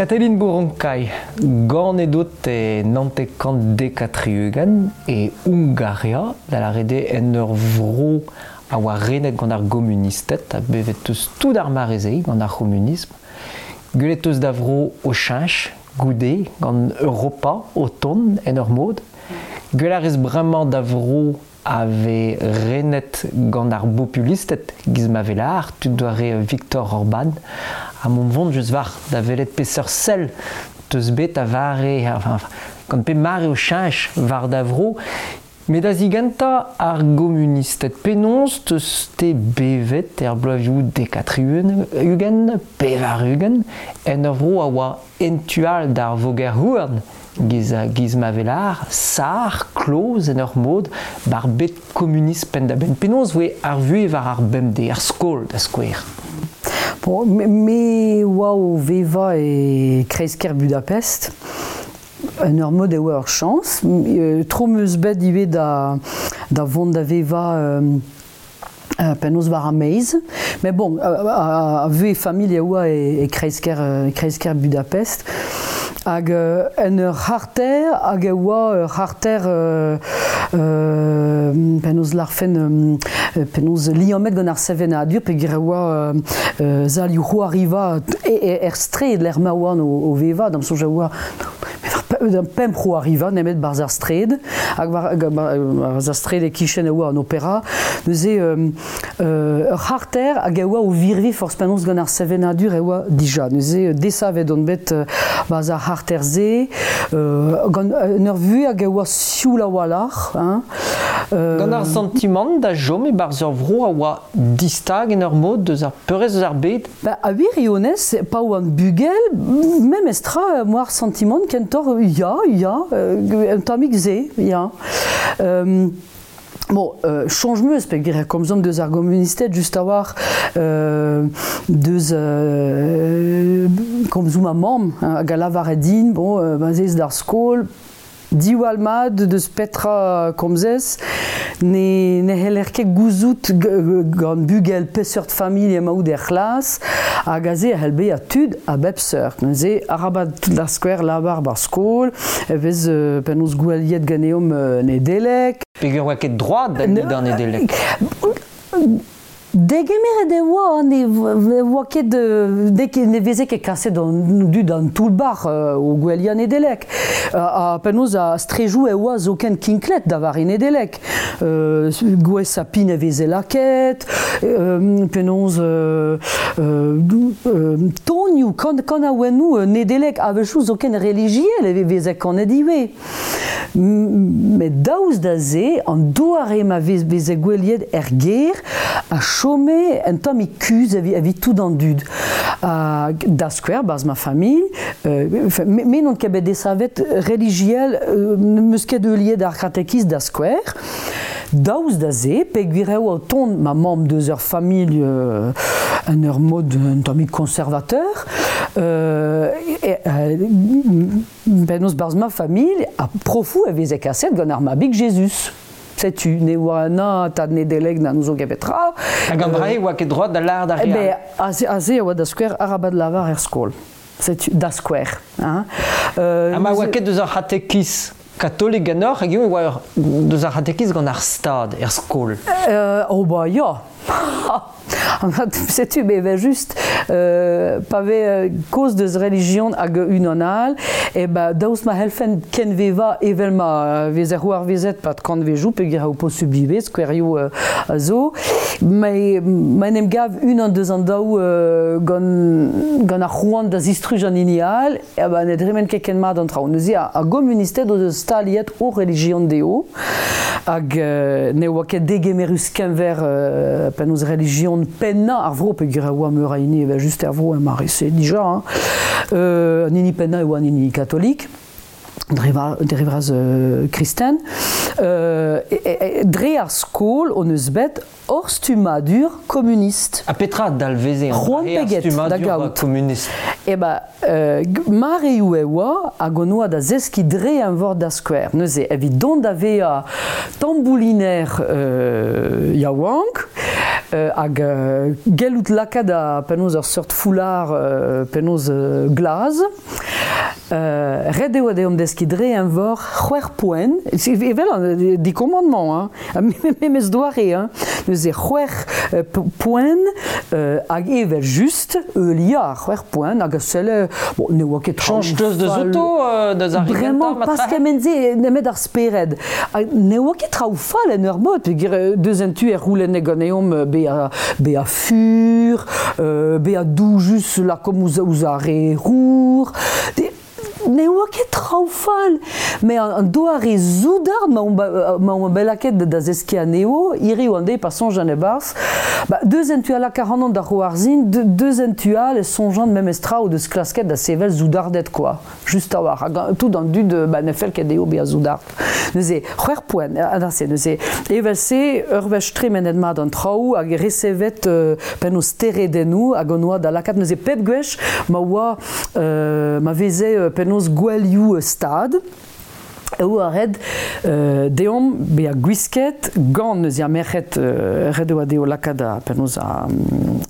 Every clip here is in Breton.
Katelin Bouronkay, ganet out e 1970 e Hungaria, da lâret eo en ur vro a oa renet gant ar gomunisted, ha bevet eus tout ar mare-se gant ar c'homunism. Gwelet eus da vro o cheñch goude gant Europa o tont en ur mod. Gwell a rez bremañ da vro a vez renet gant ar bopulisted giz ma vez lâr, tud doare Viktor Orban, ha mont vont just war da welet peseurt sell teus bet a vare, enfin, gant pe mare o cheñch war da vro. Met da zigentañ ar gomunisted, penaos teus-te bevet er bloavezhioù dek-ha-tri-ugent, 80, en ur vro a oa en tu all d'ar voger-houarn giz, giz ma vez lâr, sar, kloz en ur mod, bar bed komunist penn-da-benn. Penaos voe ar vuhez war ar bemdez, ar skol da skouer? Bon, me oa o vevañ e kreiz-kêr Budapest. En ur mod e oa ur chañs. Tro 'm eus bet ivez da, da vont da vevañ penaos war ar maez. Met bon, a vuhez familh e oa e, e kreiz-kêr, kreiz-kêr Budapest. Hag en ur c'harter, hag e oa ur c'harter penaos larfen, penaos liammet gant ar sevenadur, peogwir e oa salioù c'hoariva er straed lec'h ma oan o, o vevañ, d'am soñj e oa pemp c'hoariva nemet barzh ar straed hag war, barzh ar straed e-kichen e oa an opera neuze ur c'harter hag e oa o virviñ forzh penaos gant ar sevenadur e oa dija neuze desavet on bet barzh ar c'harter-se gant un ur vuhez hag e oa sioul a-walc'h hein. Gant ar santimant da chom e-barzh ur vro a oa distag en ur mod deus ar peurrest eus ar bed? Ba, a wirionez, pa oan bugel, memes tra, moa ar santimant kentoc'h, ya, ya, un tammig se, ya. Bon, soñj 'm eus peogwir e komzomp deus ar gomunisted just a-walc'h deus komzoù ma mamm hag a lavare din, bon, ma 'z ez d'ar skol, Diwall mat deus petra komzez, ne ne c'heller ket gouzout gant bugel peseurt familh emaout er c'hlas, hag aze a c'hell bezañ tud a bep seurt. Neuze, arabat da skouer lavar 'bar skol, e vez penaos goueliet ganeomp Nedeleg. Peogwir 'oa ket droad da lidañ Nedeleg. Degemeret e oa, ne oa ket, ne veze ket kaset an dud d'an toull-bac'h o goueliañ Nedeleg. Ha penaos a strejoù e oa zoken kinklet da vare Nedeleg. Gwez sapin e veze lakaet, penaos tonioù, kanaouennoù Nedeleg, a-wechoù zoken relijiel e veze kanet ivez. Met daoust da se, an doare ma vez veze goueliet er gêr a chome un tammig kuzh evit tout an dud. Ha da skouer, 'barzh ma familh, me n'on ket bet desavet relijiel, n'em eus ket heuliet ar c'hatekiz da skouer. Daoust da se, peogwir eo o tont ma mamm deus ur familh en ur mod un tammig conservateur, Penaos 'barzh ma familh, ha profoù e veze kaset gant ar mabig Jezuz. Setu, ne oa na tad Nedeleg na n'ouzon ket petra. Hag an dra-se oa ket droad da lâret d'ar re all. Aze, aze e oa da skouer arabat lavar er skol. Setu, da skouer. Hein. Ha ma oa ket deus ar c'hatekiz katolik ganeoc'h, hag e oa deus ar c'hatekiz gant ar stad er skol? Oh bah ya. Setu me evel-just pa vez kaoz deus relijion hag unan all, e ba daoust ma c'hellfen kenvevañ evel ma vezer c'hoarvezet pad kantvejoù peogwir eo posubl ivez skouerioù a zo, ma en em gav unan deus an daou gant, gant ar c'hoant da zistruj an hini all, e ba ne dremen ket ken mat an traoù. Neuze ar gomunisted o deus staliet o relijion dezho hag ne oa ket degemerus keñver penaos relijion pennañ ar vro peogwir e oa meur a hini evel-just er vro er mare-se dija hein. An hini pennañ e oa an hini katolik dre vras kristen. Dre ar skol hon eus bet hor stummadur komunist. Ha petra a dalveze an ar stummadur komunist? Eh ben, mareoù e oa hag on oa da zeskiñ dre eñvor da skouer. Neuze, evit dont da vezañ tambouliner yaouank, Hag gellout lakaat a penaos ur seurt foulard penaos glaz. Ret eo deomp deskiñ dre eñvor c'hwec'h poent, evel an di commandement, hein, memes doare, hein. Neuze c'hwec'h poent hag evel just heuliañ ar c'hwec'h poent hag a selle, bon, ne oa ket traoù Chañch deus deus fall. outo deus ar re gentañ Bremañ, ma pas trahe? kement-se, nemet ar spered. Ha ne oa ket traoù fall en ur mod, peogwir deus un tu e c'houlenne ganeomp bezañ fur, bezañ doujus lakaomp ouzh ar re rour. Ne oa ket traoù fall, met an doare soudard ma omp bet lakaet da zeskiñ anezho, hiriv an deiz pa soñjan e-barzh, ba, deus en tu all laka ac'hanon da c'hoarzhin, deus en tu all e soñjan memes tra o deus klasket da sevel soudarded quoi, just a-walc'h. Hag tout an dud ba, ne fell ket dezho bezañ soudard. Neuze, c'hwec'h poent, adarse, neuze, evel-se, ur wech tremenet mat an traoù hag resevet penaos steredennoù hag on oa da lakaat neuze pep gwech ma oa ma veze penaos gouelioù stad, eo a ret deomp bezañ gwisket gant neuze ar merc'hed ret e oa dezho lakaat a penaos a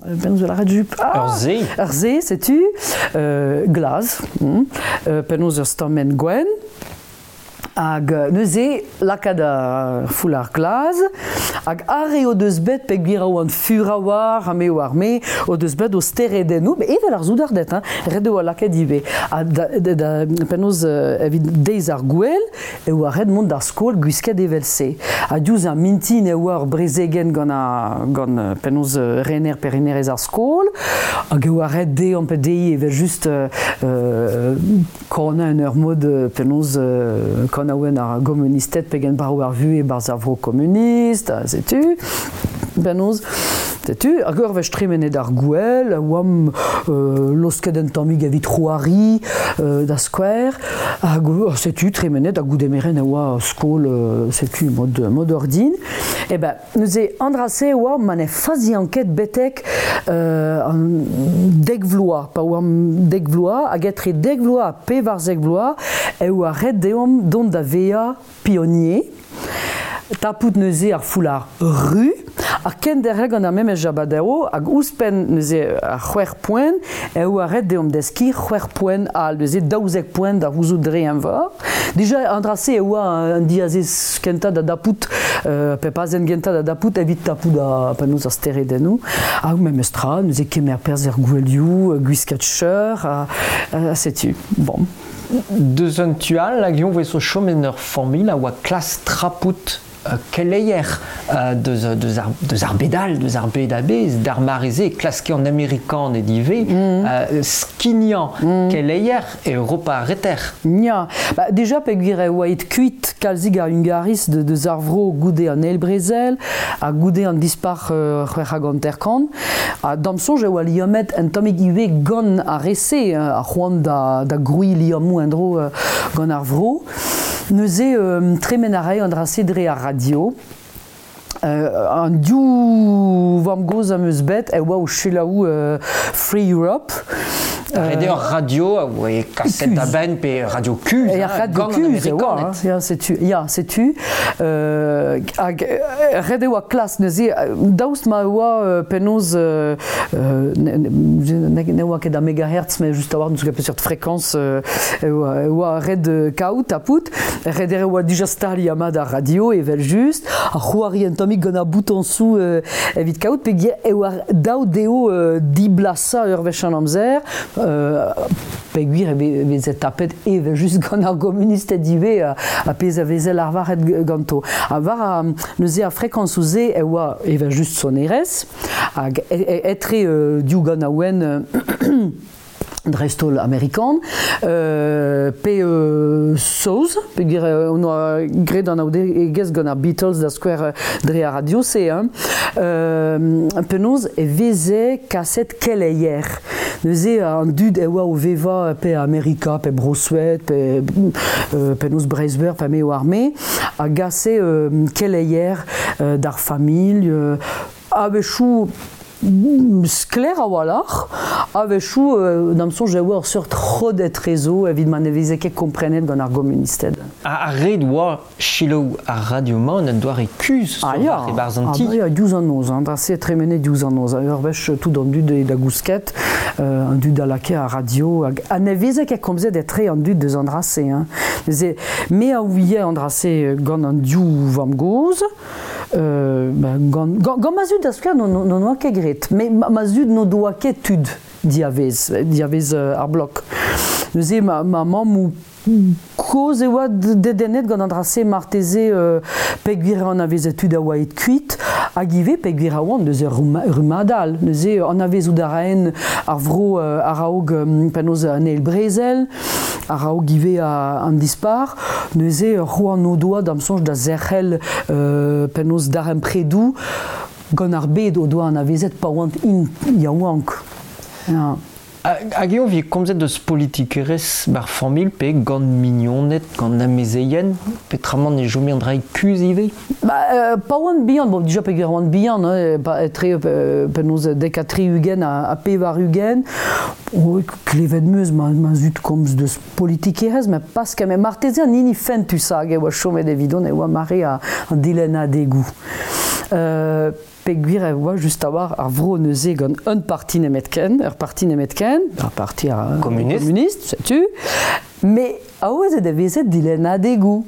penaos lakaat jup Ur se. Ur se, setu glaz, penaos ur stammenn gwenn. Hag neuze lakaat ar foulard glaz, hag ar re o deus bet peogwir a oant fur a-walc'h, ha me oar me, o deus bet o steredennoù, met evel ar soudarded, hein, ret e oa lakaet ivez. Ha da penaos evit deiz ar gouel, e oa ret mont d'ar skol gwisket evel-se. Ha diouzh ar mintin e oa ur brezegenn gant gant penaos rener pe renerez ar skol, hag e oa ret dezhañ pe dezhi evel just kanañ en ur mod penaos kanaouenn ar gomunisted pegen brav ar vuhez e-barzh ar vro komunist, ha setu, penaos, setu, hag ur wech tremenet ar gouel, a oamp losket un tammig evit c'hoari da skouer, hag setu tremenet ha goude merenn a oa skol, setu mod ordin. E ben, neuze, an dra-se oa ma ne fazian ket betek an dek vloaz, pa oamp dek vloaz, hag etre dek vloaz ha pevarzek vloaz, e oa ret deomp dont da vezañ pionier, tapout neuze ar foulard ru, ha kenderc'hel gant ar memes jabadao, hag ouzhpenn neuze ar c'hwec'h poent, e oa ret deomp deskiñ c'hwec'h poent all, neuze 12 poent da c'houzout dre eñvor. Dija an dra-se e oa un diazez kentañ da dapout, pe pazenn gentañ da dapout evit tapout a penaos ar steredennoù. Ha memes tra, neuze kemer perzh er gouelioù, gwiskat cheur, ha setu. Bon. Deus un tu all, hag eñ 'vez o chom en ur familh a oa klas trapout keleier deus ar bed all, deus ar bed a-bezh, d'ar mare-se e klaske an Amerikaned ivez skignañ keleier Europa ar Reter. Ya, ba, déjà peogwir e oa aet kuit kalzik a Hungariz deus ar vro goude an eil brezel ha goude an dispac'h 56. Ha d'am soñj e oa liammet un tammig ivez gant ar re-se, ar c'hoant da grouiñ liammoù en-dro gant ar vro. Neuze tremen a rae an dra-se dre ar radio. An div vamm-gozh am eus bet e oa o selaou Free Europe. Ret eo radio a oa kaset da benn pe radio kuzh, E ar hein, radio gant an kuzh e oa, Amerikaned. hein. Ya, setu, ya, setu. Hag ret e oa klas neuze, daoust ma oa penaos ne oa ket a megahertz, mais just a-walc'h n'eus ket peseurt fréquence e oa ret kaout tapout. Ret e oa dija staliañ mat ar radio evel just, ar c'hoari un tammig gant ar boutonsoù evit kaout, peogwir e oa dav dezho diblasañ ur wech an amzer, peogwir e veze tapet evel just gant ar gomunisted ivez ha pezh a veze lavaret ganto. Ha war neuze ar frekañsoù-se e oa evel just sonerezh, hag etre div ganaouenn dreist-holl amerikan, pe saoz, peogwir on oa graet an aoudegezh gant ar Beatles da skouer dre ar radio-se, hein. Penaos e veze kaset keleier. Neuze an dud e oa o vevañ pe Amerika, pe Bro-Sued, pe penaos Breizh-Veur, pe me oar me, a gase keleier d'ar familh, a-wechoù Sklaer a-walc'h, a-wechoù d'am soñj e oa ur seurt rod etrezo evit ma ne veze ket komprenet gant ar gomunisted. Ha ret oa selaou ar radio-mañ en un doare kuzh ah, ya. e-barzh an ti. Ah, ya, diouzh an noz, an dra-se tremenet diouzh an noz. Ur wech tout an dud da gousket, an dud a lakae ar radio, hag ha ne veze ket komzet etre an dud deus an dra-se. Hein. Neuze, me a ouie an dra-se gant an div vamm-gozh, gant, gant, ma zud da skouer n'on oa ket graet. Mais ma zud n'o doa ket tud diavez, diavez ar blok. Neuze ma, ma mamm kozh e oa dedennet gant an dra-se marteze peogwir anavezet tud a oa aet kuit hag ivez peogwir a oant deus ur rummad all. Neuze anavezout a raen ar vro a-raok penaos an eil brezel, a-raok ivez an dispar. Neuze c'hoant o doa d'am soñj da zerc'hel penaos darempredoù gant ar bed o doa anavezet pa oant int yaouank. Ja. Hag eo vi komzet deus politikerezh bar familh pe gant mignoned, gant amezeien, petramant e chome an dra kuzh ivez? Ba, pa oan bihan, bon, dija peogwir oan bihan, hein, pa etre penaos dek ha 60 ha 80, oh, klevet 'meus ma, ma zud komz deus politikerezh, met pas ket, met marteze an hini fentusañ hag e oa chomet evidon e oa mare an dilennadegoù. Peogwir e oa just a-walc'h ar vro neuze gant un parti nemetken, ur parti nemetken, ar parti communiste, communiste setu, mais aozet e veze dilennadegoù.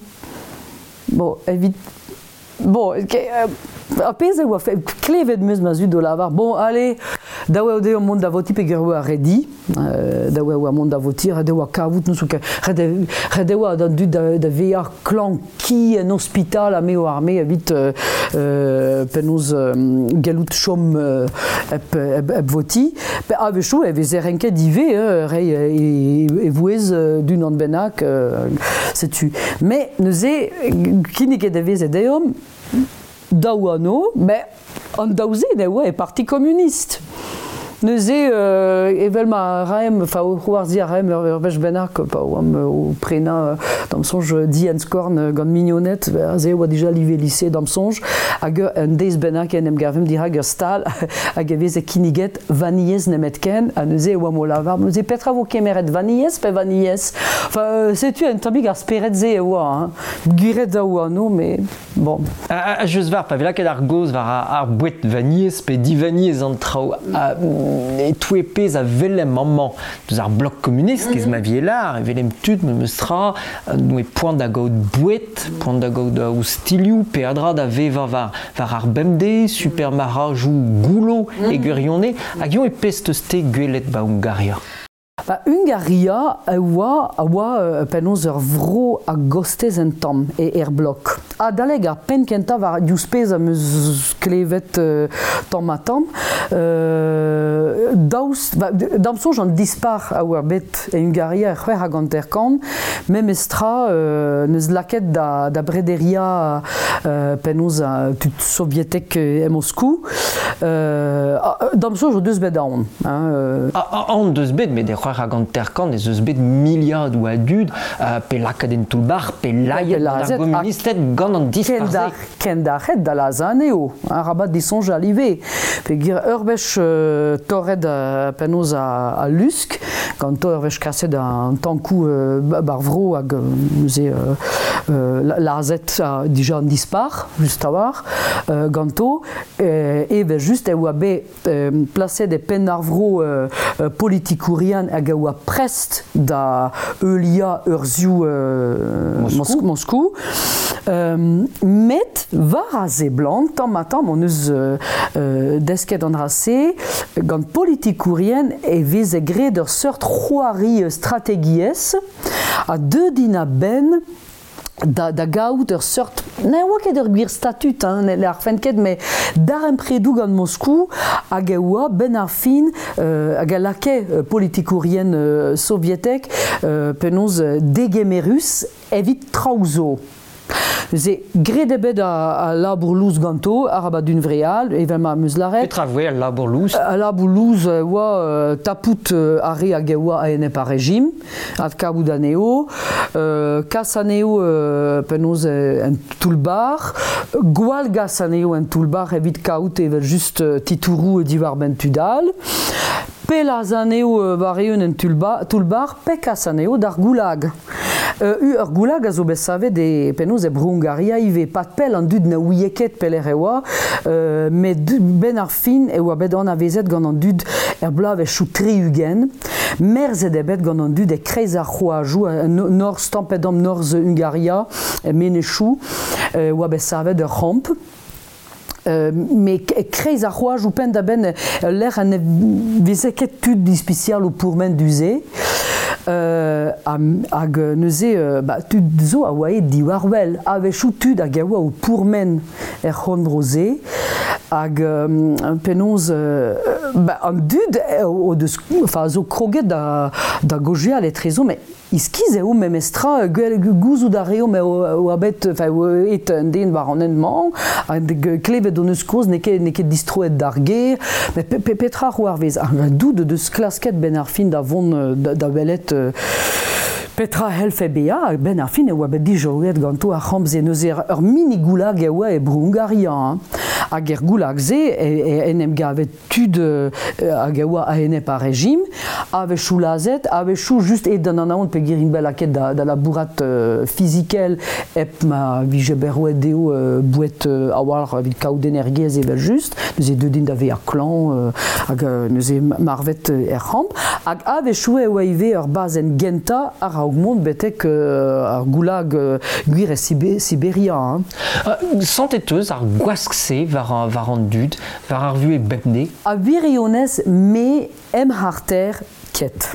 Bon, evit bon, ar pezh e oa klevet 'meus ma zud o lavar, bon, allez, dav eo dezhañ mont da votiñ peogwir e oa redi, dav e oa mont da votiñ, ret e oa kavout n'ouzon ket, ret e oa d'an dud da vezañ klañv ki en ospital ha me oar me evit penaos gallout chom hep, hep, votiñ. A-wechoù e veze renket ivez reiñ e vouezh d'unan bennak, setu. Mais neuze, kinniget e veze deomp daou anv, met an daou-se ne oa e Parti communiste. Neuze, evel ma raemp, enfin, o c'hoarzhiñ a raemp ur wech bennak, pa oamp o prenañ, d'am soñj, dienn-skorn gant mignoned, aze e oa dija live lise d'am soñj, hag un deiz bennak en em gavemp dirak ur stal hag e veze kinniget vanilhez nemetken, ha neuze e oamp o lavar, neuze petra vo kemeret, vanilhez pe vanilhez? Enfin, setu un tammig ar spered-se e oa, hein. Gwiret a oa anv, mais Bon. Ha just war, pa vez lakaet ar gaoz war ar boued vanilhez pe divanilhez an traoù, e-touez pezh a welemp amañ deus ar blok komunist, kez ma vie lar, e welemp tud memes tra, noe poan da gaout boued, poan da gaout oustilhoù, peadra da vevañ war, war ar bemdez, supermarc'hajoù goullo e gwirionez, hag eo e pezh teus te gwelet ba Hungaria? Ba Hungaria a oa a oa penaos ur vro a-gostez un tamm e er blok. Adalek ar penn kentañ war diouzh pezh am eus klevet tamm-ha-tamm, daoust d'am soñj an dispac'h a oa bet e Hungaria er 56 memestra n'eus lakaet da, da brederiañ penaos tud sovietek e Moskou. D'am soñj o deus bet aon. Hein, Aon deus bet, met e 56 ez eus bet miliadoù a dud pe lakaet en toull-bac'h, pe laet gant ar gomunisted gant an dispac'h-se. Kendarc'het da lazhañ anezho, arabat disoñjal ivez. Peogwir ur wech torret penaos al lusk, ganto ur wech kaset an tankoù bar vro hag neuze lazhet dija an dispac'h, just a-walc'h, ganto, evel-just e oa bet plaset e penn ar vro politikourien hag a oa prest da heuliañ urzhioù Moskou. Moskou. Met war a seblant, tamm-ha-tamm hon eus desket an dra-se, gant politikourien e veze graet ur seurt c'hoari strategiezh ha deuet int a-benn da, da gaout ur seurt ne oa ket ur gwir statut hein, ne arfen ket met darempredoù gant Moskou hag e oa benn ar fin hag a lakae politikourien sovietek penaos degemerus evit traoù zo. Neuze, graet eo bet al labour lous ganto, arabat hunvreal, evel ma 'm eus lâret. Petra voe al labour lous? Al labour lous oa tapout ar re hag a oa a-enep ar rejim, adkavout anezho, kas anezho penaos en toull-bac'h, gwallgas anezho en toull-bac'h evit kaout evel-just titouroù diwar-benn tud all, pe lazh anezho war-eeun en toull-bac'h, pe kas anezho d'ar goulag. Ur goulag a zo bet savet e penaos e Bro-Hungaria ivez. Pad pell an dud na ouie ket pelec'h e oa, met benn ar fin e oa bet anavezet gant an dud er bloavezhioù 60. Merzet eo bet gant an dud e-kreiz ar c'hoajoù, norzh tamm-pe-damm norzh Hungaria, e menezioù, e oa bet savet ur c'hamp. Met e-kreiz ar c'hoajoù penn-da-benn ul lec'h ha ne veze ket tud ispisial o pourmen du-se. Hag neuze ba, tud zo a oa aet diwar-wel, a-wechoù tud hag a oa o pourmen er c'horn-bro-se. Hag penaos ba, an dud o deus, enfin, zo kroget da, da gaozeal etrezo, met Iskis eo memestra, gouzout a reomp e oa bet, enfin, aet un den war an hent-mañ, hag klevet hon eus kozh n'eo ket, n'eo ket distroet d'ar gêr, met petra c'hoarvez? Hag dout o deus klasket benn ar fin da vont da welet petra c'hellfe bezañ, benn ar fin e oa bet dijoget ganto ar c'hamp-se. Neuze ur mini goulag e oa e Bro-Hungaria, hein. Hag er goulag-se en em gave tud hag a oa a-enep ar rejim, a-wechoù lazhet, a-wechoù just aet d'an anaon peogwir int bet lakaet da, da labourat fizikel hep ma vije bet roet dezho boued a-walc'h evit kaout energiezh evel-just. Neuze deuet int da vezañ klañv hag neuze marvet er c'hamp. Hag a-wechoù e oa ivez ur bazenn gentañ a-raok mont betek ar goulag gwir e Siberia. Hein. Santet eus ar gwask-se war, war an dud, war ar vuhez bemdez? A wirionez, me em c'harter ket.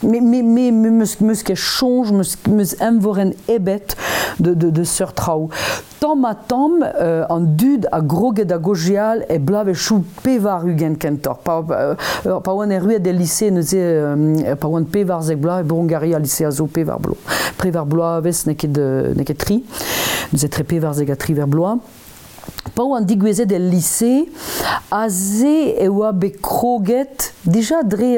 Me, me, me, me meus, meus ket soñj, meus, meus envorenn ebet de, de, de seurt traoù. Tamm ha tamm, an dud a groge da gaozeal e bloavezhioù 80 kentoc'h. Pa, pa oan erruet el lise neuze, pa oan 14 bloaz e Bro-Hungaria, lise a zo pevar bloaz. Pevar bloavezh n'eo ket, n'eo ket tri. Neuze tre 14 ha 18 bloaz. Pa oan digouezhet el lise, aze e oa bet kroget dija dre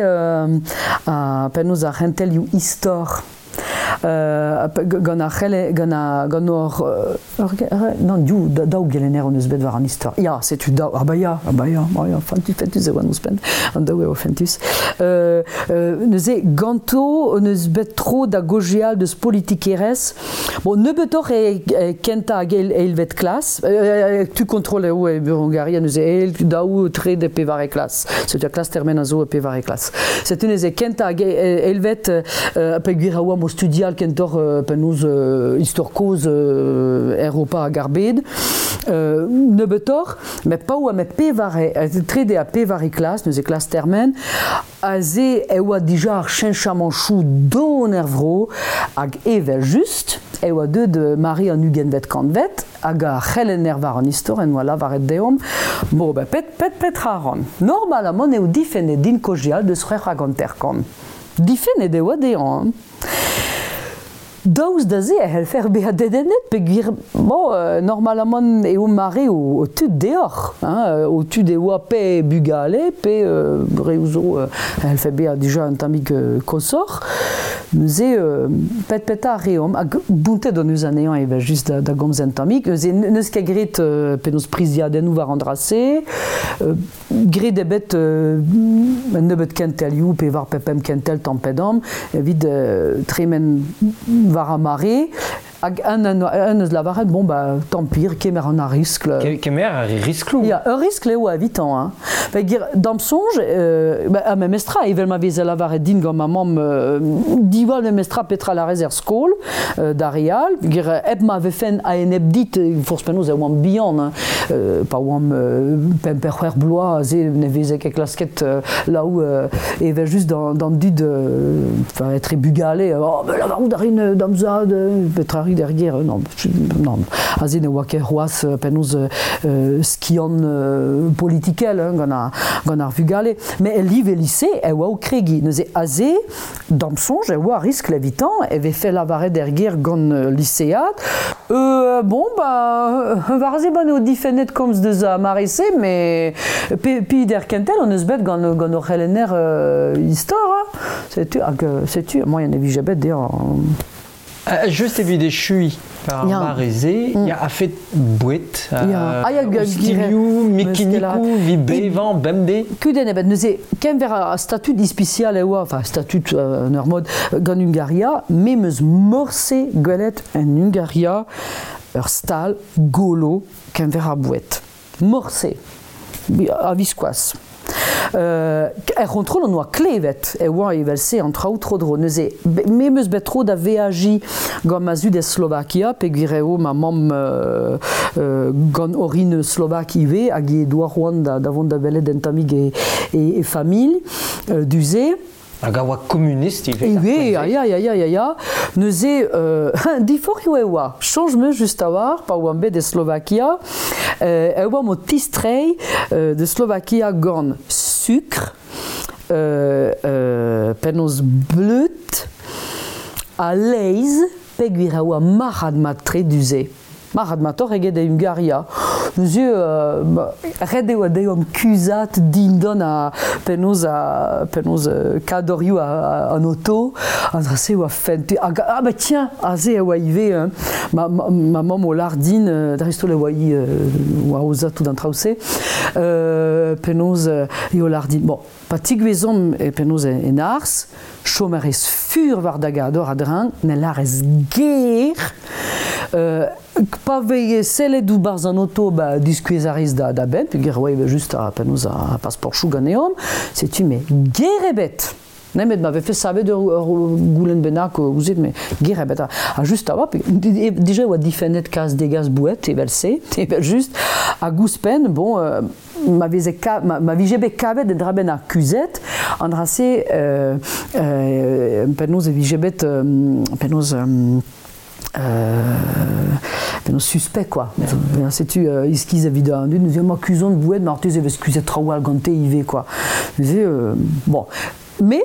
penaos ar c'hentelioù istor. Gant ar c'helle, gant ar, gant hor, non, div, daou gelenner hon eus bet war an istor. Ya, setu daou, ah bah ya, ah bah ya, ah ya, fentus e oan ouzhpenn, an daou eo fentus. Neuze, ganto hon eus bet tro da gaozeal deus politikerezh. Bon, nebeutoc'h e kentañ hag eilvet klas. Tu kontrol eo e Hungaria neuze eil, daou, trede, pevare klas. Setu ar klas termen a zo e pevare klas. Setu neuze kentañ hag eilvet peogwir a oamp o studial kentoc'h penaos istor kozh Europa hag ar bed. Nebeutoc'h, met pa oa met pevare, trede ha pevare klas, neuze klas termen, Aze e oa dija ar cheñchamanchoù don er vro hag evel-just e oa deuet mare an ugentvet kantved hag ar c'helenner war an istor en doa lavaret deomp bon ben pet pet petra a ran. Normalamant eo difennet din kaozeal deus 56. Difennet e oa dezhañ hein. Daoust da se e c'hellfer bezañ dedennet peogwir bon, normalamant eo mare ho tud deoc'h, hein, ho tud e oa pe bugale pe reoù zo e c'hellfe bezañ dija un tammig koshoc'h. Neuze pet petra a reomp hag bountet hon eus anezhañ evel-just da, da gomz un tammig. Neuze n'eus ket graet penaos priziadennoù war an dra-se. Graet eo bet un nebeud kentelioù, pevar pe pemp kentel tamm-pe-damm, evit tremen war ar mare. Hag un, un, un eus lavaret, bon, bah, tant pis, kemer an ar riskl. Kemer ar riskloù. Ya, ur riskl eo evitañ. Hein. Peogwir, d'am soñj, bah, ar memestra, evel ma veze lavaret din gant ma mamm, diwall memestra petra larez er skol, d'ar re all, peogwir hep ma vefen a-enep dit, forzh penaos e oamp bihan, hein. Pa oamp pemp pe c'hwec'h bloaz aze ne veze ket klasket laou evel-just d'an dud enfin etre bugale oh ben lavarout a rin d'am zad petra rit er gêr non non aze ne oa ket c'hoazh penaos skiant politikel hein, gant ar gant ar vugale met el live lise e oa o kregiñ neuze aze d'am soñj e oa riskl evitañ e vefe lavaret er gêr gant lisead Bon, ba, war-se ba eo difennet komz deus ar mare-se, mais pe, pi der kentel on eus bet gant, gant hor c'helenner istor, hein. Setu, hag, setu, moaien e vije bet dezhañ. Just evit echuiñ par Ya. mare-se, ya a fet boued, Ya. Ah, ya, ostilhoù, mekanikoù, vi bevañ bemdez. Kudenn ebet, neuze, kenver ar statud ispisial e oa, enfin statud en ur mod gant Hungaria, me 'm eus morse gwelet en Hungaria ur stal golo kenver ar boued. Morse. A-viskoazh. Er c'hontrol on oa klevet e oa evel-se an traoù tro-dro. Neuze, me 'm eus bet tro da veajiñ gant ma zud e Slovakia, peogwir eo ma mamm gant orin slovak ivez, hag he doa c'hoant da vont da welet un tammig e familh du-se. Hag a oa komunist ivez. Ivez, ya, ya, ya, ya, ya, ya. Neuze, diforc'hioù e oa. Soñj 'm eus just a-walc'h, pa oan bet e Slovakia, e oamp o tistreiñ de Slovakia gant sukr, penaos bleud, ha laezh, peogwir e oa marc'had-mat-tre du-se. Marc'had-matoc'h eget e Hungaria. Neuze, ret eo dezhañ kuzhat dindan a penaos a penaos kadorioù an oto. An dra-se oa fent. Hag, ah bah tiens, aze e oa ivez, hein, ma mamm o lâr din, dreist-holl e oa hi oa aozañ tout an traoù-se, penaos eo lâr din, bon, pa tigouezomp e penaos en arz, chom a rez fur war da gador a-dreñv, ne lârez ger, pa vez sellet ouzh barzh an oto, ba, diskouez a rez da benn, peogwir oa evel just a penaos a paseportoù ganeomp, setu me ger ebet. Nemet ma vefe savet ur goulenn bennak ouzhit, mais ger ebet. Ha just a oa, déjà e oa difennet kas degas boued evel-se, evel just, hag ouzhpenn, bon, ma veze ma vije bet kavet un dra bennak kuzhet, an dra-se, penaos e vije bet, penaos, penaos suspect quoi. Setu iskiz evit an dud, neuze ma kuzont boued, marteze e vez kuzhet traoù all gante ivez quoi. Neuze, bon. Mais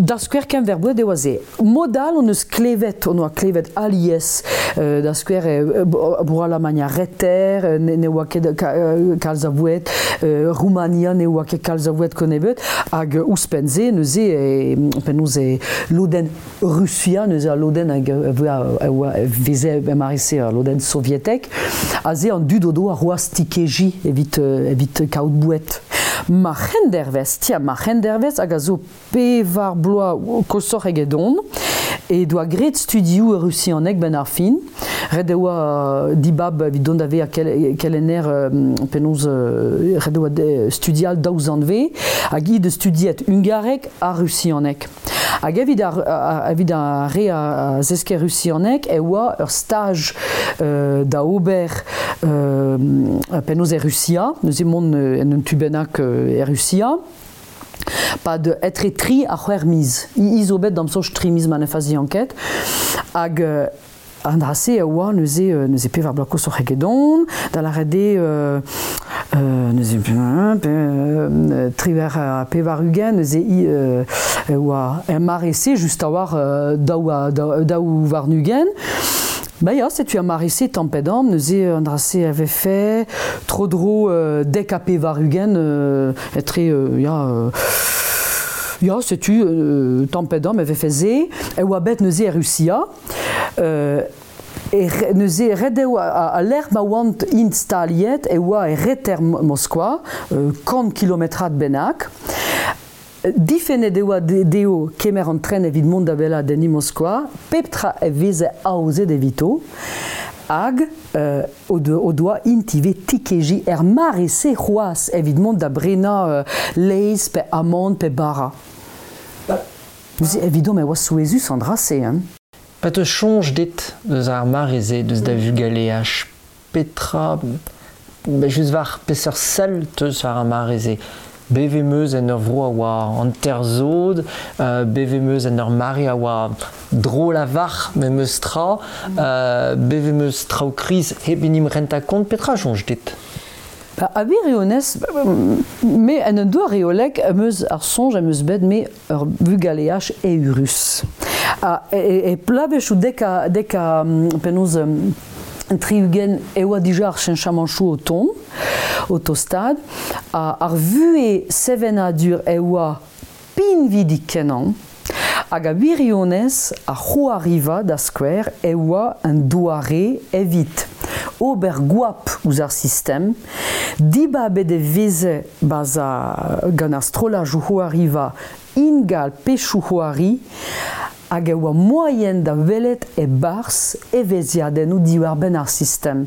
da skouer kenver boued e oa se. Mod all hon eus klevet, on oa klevet alies, da skouer bro Alamagn ar Reter, ne oa ket kalz a voued, Roumania ne oa ket kalz a voued kennebeut, hag ouzhpenn-se neuze penaos e lodenn Rusia, neuze al lodenn hag a veze mare-se al lodenn sovietek, aze an dud o doa c'hoazh tikeji evit kaout boued. Ma c'hendervez, tiens, ma c'hendervez hag a zo pevar bloaz koshoc'h egedon, e doa graet studioù rusianeg benn ar fin. Ret e oa dibab evit dont da vezañ kelenner penaos ret e oa studial daou zanvez, hag hi deus studiet hungareg ha rusianeg. Hag evit ar, evit ar re a zeske rusianeg e oa ur staj da ober penaos e Rusia, neuze mont en un tu bennak e Rusia, pad etre 3 ha 6 miz. I zo bet d'am soñj 3 miz ma ne fazian ket. Hag an dra-se a oa neuze, neuze pevar bloaz koshoc'h egedon, da lâret eo neuze triwec'h ha pevar-ugent, neuze i e oa er mare-se just a-walc'h daou warn-ugent. Ba ya, setu ar mare-se tamm-pe-damm, neuze an dra-se a vefe tro-dro 90 etre ya ya setu tamm-pe-damm e vefe se. E oa bet neuze e Rusia. E neuze ret eo al lec'h ma oant int staliet e oa e reter Moskva, 100 kilometrad bennak. Difennet e oa dezho kemer an tren evit mont da weladenniñ Moskva, pep tra e veze aozet evito, hag o doa int ivez tikejiñ er mare-se c'hoazh evit mont da brenañ laezh pe amann pe bara. Neuze evidomp e oa souezhus an dra-se, hein. Pa te soñj dit deus ar mare-se, deus da vugaleaj, petra, just war peseurt sell teus war ar mare-se? Bevet 'm eus en ur vro a oa hanter-zod, bevet 'm eus en ur mare a oa drol a-walc'h memes tra, bevet 'm eus traoù kriz hep en em rentañ kont, petra soñj dit? A wirionez, me en un doare reolek am eus ar soñj am eus bet me ur vugaleaj eürus. Ha e bloavezhioù dek a penaos 60 e oa dija ar cheñchamanchoù o tont, o tostaat, ha ar vuhez sevenadur e oa pinvidik-kenañ, hag a wirionez ar c'hoariva da skouer e oa un doare evit ober goap ouzh ar sistem, dibabet e veze baza gant ar strollajoù c'hoariva ingal pechoù c'hoari, hag e oa moaien da welet e-barzh evezhiadennoù diwar-benn ar sistem.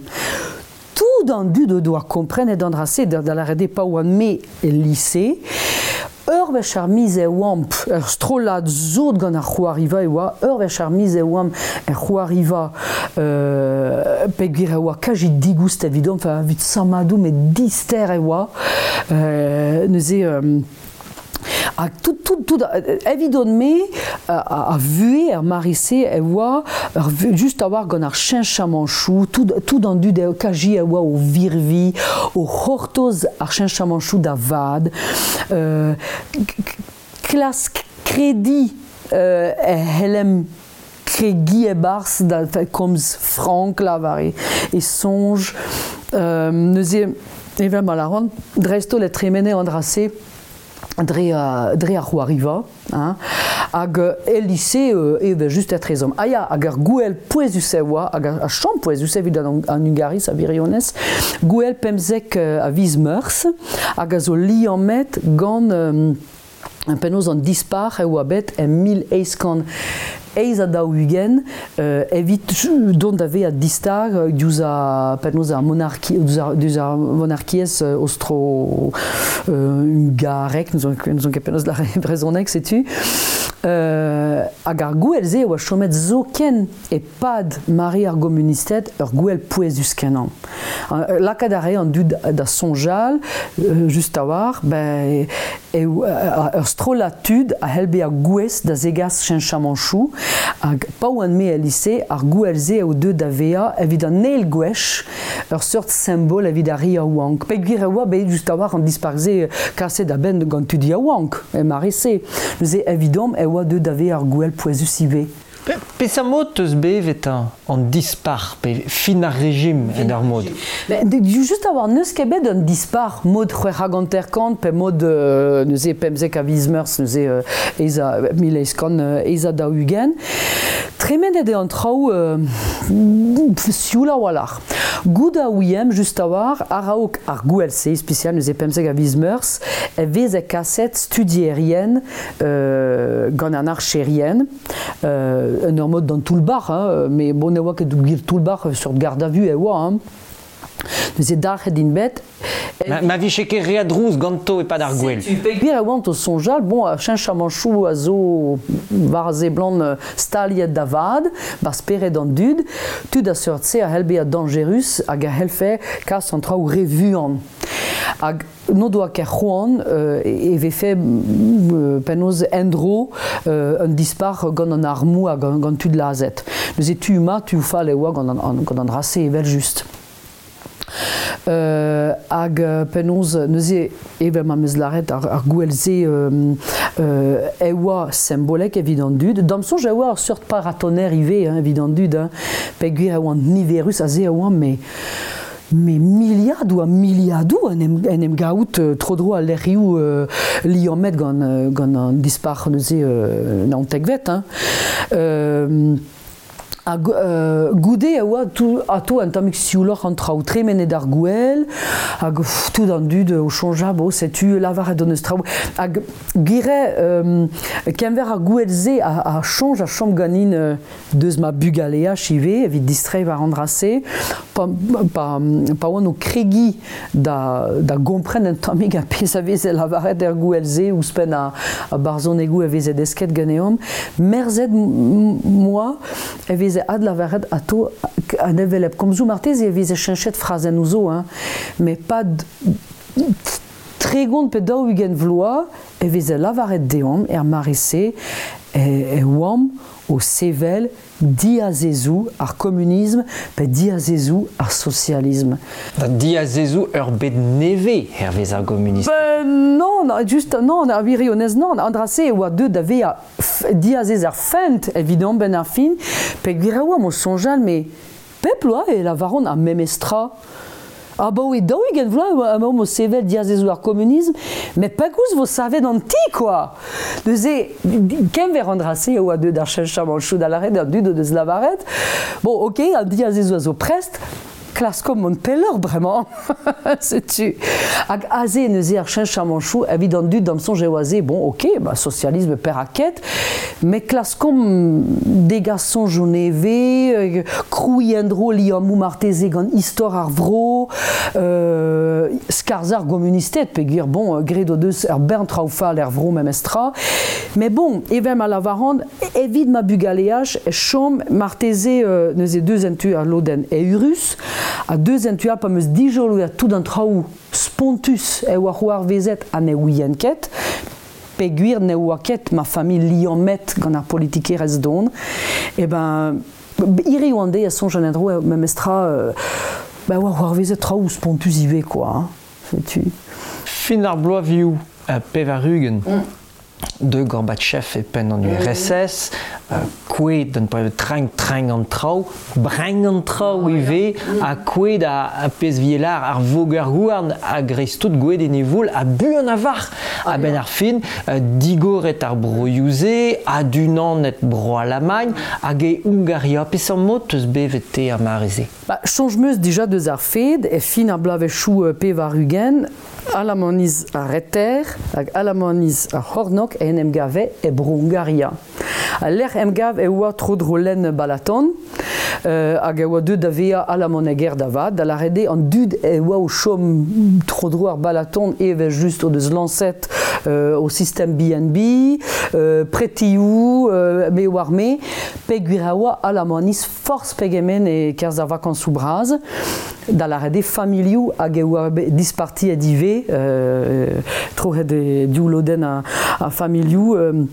Tout an dud o doa komprenet an dra-se, da lâret eo pa oan-me el lise, ur wech ar miz e oamp, ur strollad sot gant ar c'hoariva e oa, ur wech ar miz e oamp er c'hoariva, peogwir e oa kazi digoust evidomp, enfin, evit sammadoù met dister e oa, neuze... Ha tout, tout, tout, evidon-me, a vuhez er mare-se e oa just a-walc'h gant ar cheñchamanchoù, tout, tout an dud eo kaji e oa o virviñ, o c'hortoz ar cheñchamanchoù da vat, klask krediñ e c'hellemp kregiñ e-barzh da komz frank lavar e soñj. Neuze, evel ma lâran, dreist-holl e tremene an dra-se dre, dre ar c'hoariva, hein, hag el lise evel just etrezomp. Ah ya, hag ar gouel pouezus e oa, hag ar chom pouezus evit an, an Hungariz a wirionez, gouel 15 a viz Meurzh, hag a zo liammet gant penaos an dispac'h e oa bet en 1848 evit dont da vezañ distag diouzh ar penaos ar monarki diouzh ar monarkiezh aostro-hungarek n'ouzon ket penaos lâret e brezhoneg setu hag ar gouel-se a oa chomet zoken e-pad mare ar gomunisted ur gouel pouezus-kenañ. Lakaat a rae an dud da soñjal just a-walc'h ben eo ur strollad tud a c'hell bezañ gouest da zegas cheñchamanchoù hag pa oan-me el lise ar gouel-se eo deuet da vezañ evit an eil gwech ur seurt simbol evit ar re yaouank. Peogwir e oa bet just a-walc'h an dispac'h-se kaset a-benn gant tud yaouank e mare-se. Neuze evidomp e oa deuet da vezañ ur gouel pouezus ivez. Peseurt mod 'teus bevet an dispac'h pe fin ar rejim en ur mod? Just a-walc'h n'eus ket bet un dispac'h mod 56 pe mod neuze 15 a viz Meurzh neuze ez a 1840. Tremenet eo an traoù sioul a-walc'h. Goût a ouiemp just a-walc'h a-raok ar gouel-se ispisial neuze 15 a viz Meurzh e veze kaset studierien gant an archerien en ur mod d'an toull-bac'h, hein, mais bon ne oa ket gwir toull-bac'h seurt garde à vue e oa. Hein. Neuze dalc'het int bet. Ma vije ket re a drouz ganto e-pad ar gwel. Peogwir e oant o soñjal, bon, ar cheñchamanchoù a zo war a seblant staliet da vat, war spered an dud, tud a seurt-se a c'hell bezañ dañjerus hag a c'hellfe kas an traoù re vuan. Hag n'o doa ket c'hoant e vefe penaos en-dro un dispac'h gant an armoù ha gant tud lazhet. Neuze tu mat, tu fall e oa gant an, gant an dra-se evel-just. Hag penaos neuze evel ma 'm eus lâret ar, ar gouel-se e oa simbolek evit an dud. D'am soñj e oa ur seurt paratonner ivez hein, evit an dud, hein, peogwir e oant niverus aze e oant, mais Mais miliadoù ha miliadoù en em, en em gaout tro-dro al lec'hioù liammet gant, gant an dispac'h neuze naontekvet. Hein. Ha goude e oa atao un tammig siouloc'h an traoù, tremenet ar gouel, hag tout an dud o soñjal, bon, setu lavaret hon eus traoù. Hag gwir eo, kenver ar gouel-se a soñj a chom ganin deus ma bugaleaj ivez evit distreiñ war an dra-se pa, pa, pa oan o kregiñ da, da gompren un tammig ar pezh a veze lavaret er gouel-se ouzhpenn a, a barzhonegoù a veze desket ganeomp merzet moa e veze adlavaret atao an hevelep komzoù marteze e veze cheñchet frazennoù zo hein met pad 30 pe 40 vloaz e veze lavaret deomp er mare-se e, e oamp o sevel diazezoù ar komunism pe diazezoù ar sosialism. Da diazezoù ur bed nevez hervez ar gomunisted. Ben non, just non, ar wirionez non. An dra-se e oa deuet da vezañ diazez ar fent evidomp benn ar fin, peogwir e oamp o soñjal, mais Pep bloaz e lavaron ar memes tra. Abaoe 40 vloaz emaomp o sevel diazezoù ar komunism, met pegoulz vo savet an ti, kwa! Neuze, kenver an dra-se e oa deuet ar cheñchamanchoù da lâret an dud o deus lavaret, bon, ok, an diazezoù a zo prest, Klaskomp mont pelloc'h bremañ. Setu. Hag aze neuze ar cheñchamanchoù evit an dud d'am soñj eo aze, bon, ok, ba, socialisme perak met klaskomp degas soñjoù nevez, krouiñ en-dro liammoù marteze gant istor ar vro, skarzhañ ar gomunisted, peogwir, bon, graet o deus ur bern traoù fall er vro memestra. Met bon, evel ma lavaran, evit ma bugaleaj e chom marteze neuze deus en tu ar lodenn eürus ha deus en tu all pa 'm eus dijoloet tout an traoù spontus e oa c'hoarvezet ha ne ouien ket peogwir ne oa ket ma familh liammet gant ar politikerezh don e ben hiriv an deiz a soñjan en-dro memestra ba oa c'hoarvezet traoù spontus ivez quoi hein, setu. Fin ar bloavezhioù 80. De Gorbatchev e penn an URSS, kouezhet un treñ an traoù, brein an traoù ivez, ha kouezhet ar pezh vielar ar voger-houarn a-greiz-tout gouezet en e voul ha buan a-varc'h. A-benn ar fin, digoret ar broioù-se, adunanet Bro-Alamagn hag e Hungaria. Peseurt mod 'teus bevet te ar mare-se? Ba, soñj 'm eus dija deus ar fed, e fin ar bloavezhioù 80, Alamaniz ar Reter hag Alamaniz ar C'hornôg en em gave e Bro-Hungaria. Al lec'h emgav e oa tro-dro lenn Balaton hag e oa deuet da vezañ alamaneger da vat, da lâret eo an dud e oa o chom tro-dro ar Balaton evel-just o deus lañset o sistem B&B, pretioù, me oar me, peogwir e oa Alamaniz forzh pegement e-kerzh ar vakañsoù bras, da lâret eo familhoù hag e oa dispartiet ivez, troc'het e div lodenn a familhoù,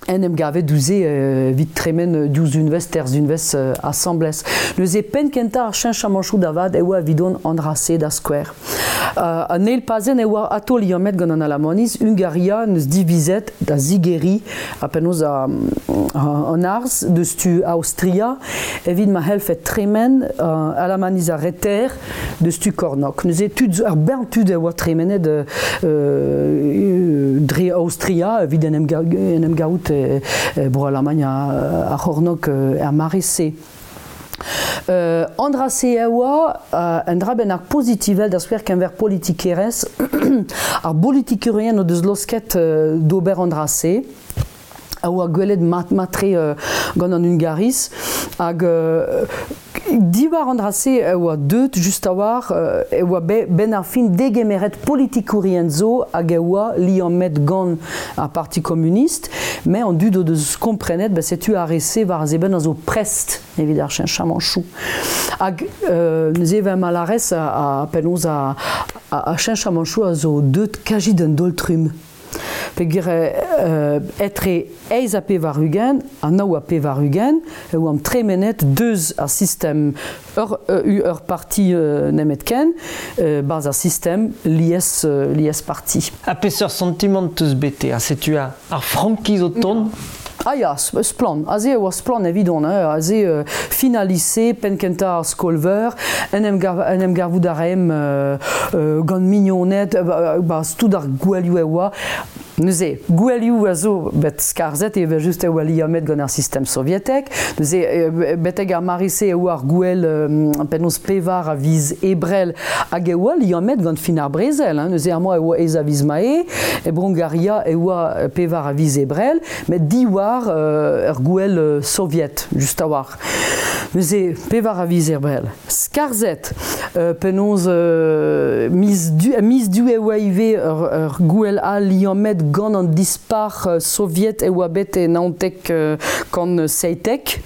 en em gavet diouzh evit tremen diouzh unvez terzh unvez asambles. Neuze penn kentañ ar cheñchamanchoù da vat e oa evidon an dra-se da skouer. An eil pazenn e oa atao liammet gant an Alamaniz, Hungaria n'eus divizet da zigeriñ ha penaos an arz deus tu Aostria evit ma c'hellfed tremen Alamaniz ar Reter deus tu Kornôg. Neuze tud ar bern tud e oa tremenet dre Aostria evit en em gaout e Bro-Alamagn ar C'hornôg er mare-se. An dra-se e oa un dra bennak pozitivel da skouer keñver politikerezh. Ar bolitikourien o deus laosket d'ober an dra-se a oa gwelet mat-mat-tre gant an Hungariz hag diwar an dra-se e oa deuet just a-walc'h e oa benn ar fin degemeret politikourien zo hag e oa liammet gant ar Parti komunist met an dud o deus komprenet ba setu ar re-se war a zo prest evit ar cheñchamanchoù. Hag neuze evel ma lârez a penaos ar cheñchamanchoù a zo deuet kazi d'un daol-trumm. Peogwir etre 88 ha 89 e oamp tremenet deus ar sistem ur parti nemetken barzh ar sistem lies lies parti. Ha peseurt santimant 'teus bet te? Ha setu ar frankiz o tont? Ah ya, splann. Aze e oa splann evidon. Hein. Aze fin al lise, penn kentañ ar skol-veur, en em, gav, en em gavout a raemp gant mignoned, ba, tout ar gouelioù e oa. Neuze, gouelioù a zo bet skarzhet evel-just e oa liammet gant ar sistem sovietek. Neuze, betek ar mare-se e oa ar gouel penaos pevar a viz Ebrel hag e oa liammet gant fin ar brezel. Hein. Neuze, amañ e oa ez a viz Mae, e Bro-Hungaria e oa pevar a viz Ebrel. Met diwar ur gouel soviet, just a-walc'h. Neuze, pevar a viz Ebrel. Skarzhet, penaos miz du, miz du e oa ivez ur gouel all liammet gant an dispac'h soviet e oa bet e naontek kant seitek,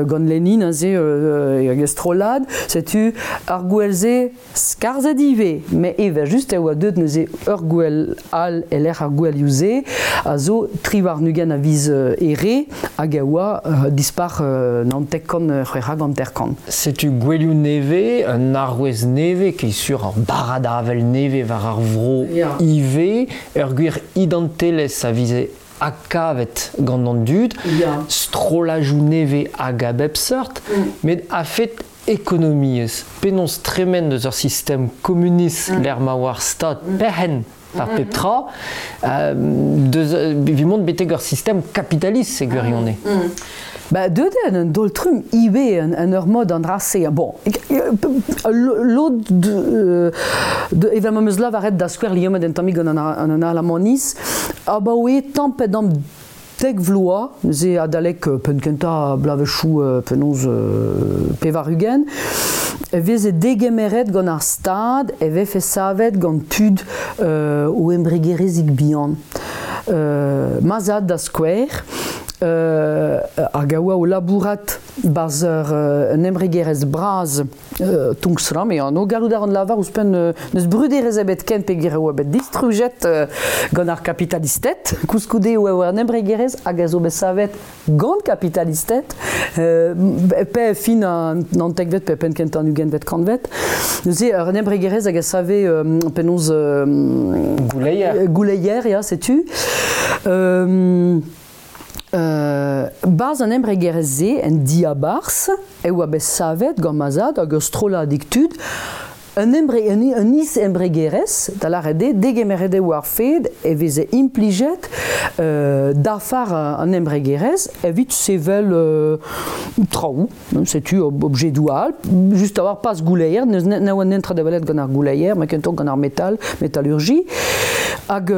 gant Lenin aze hag e strollad. Setu ar gouel-se Skarzhet ivez, met evel-just e oa deuet neuze ur gouel all e-lec'h ar gouelioù-se, a zo 23 a viz Here hag a oa dispac'h 99 56. Setu gouelioù nevez, un arouez nevez, ket sur ur barrad-avel nevez war ar vro ivez, ur gwir identelezh a vize adkavet gant an dud, strollajoù nevez hag a bep seurt, met a-fet ekonomiezh, penaos tremen deus ur sistem komunist lec'h ma oa ar Stad perc'henn ar pep tra, deus evit mont betek ur sistem kapitalist e gwirionez. Ba, deuet eo un daol-trumm ivez en ur mod an dra-se. Bon, lod evel ma 'm eus lavaret da skouer liammet un tammig gant an Alamaniz, abaoe tamm pe damm dek vloaz, neuze adalek penn-kentañ bloavezhioù penaos 80, e veze degemeret gant ar Stad e vefe savet gant tud o embregerezhig bihan. Ma zad da skouer, hag a oa o labourat 'barzh un embregerezh bras Tungsram e anv. Gallout a ran lavar ouzhpenn n'eus bruderezh ebet ken peogwir e oa bet distrujet gant ar kapitalisted. Koulskoude e oa un embregerezh hag a zo bet savet gant kapitalisted pe fin an naontekvet pe penn-kentañ an ugentvet kantved. Neuze un embregerezh hag a save penaos Gouleier. Gouleier, ya, setu. Barzh an embregerezh-se, en diabarzh, e oa bet savet gant ma zad hag ur strolladig tud un, embre, un is-embregerezh, da lâret eo, degemeret eo ar fed e veze implijet dafar an embregerezh evit sevel traoù, setu objedoù all, just a-walc'h pas gouleier, n'eus ne oa netra da welet gant ar gouleier, met kentoc'h gant ar metal, metallurgie. Hag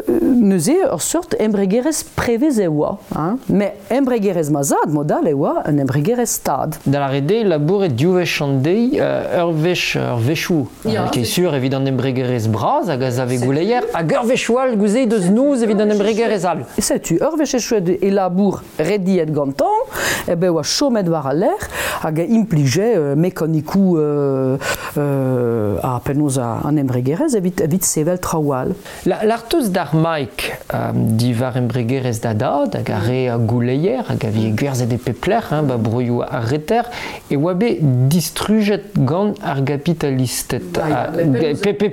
neuze ur seurt embregerezh prevez e oa. Hein. Met embregerezh ma zad, mod all, e oa un embregerezh stad. Da lâret eo, labouret div wech an deiz, ur wech ur wechoù, ket sur evit an embregerezh bras hag a save gouleier, hag ur wechoù all gouze deus noz evit an embregerezh all. Setu, ur wech echuet e labour rediet gantañ, e ben oa chomet war al lec'h hag a implije mekanikoù ha penaos an embregerezh evit sevel traoù all. L'arteus d'ar Mike diwar embregerezh da dad hag ar re gouleier hag a vije gwerzhet e pep lec'h hein, ba broioù ar reter e oa bet distrujet gant ar gapitalisted.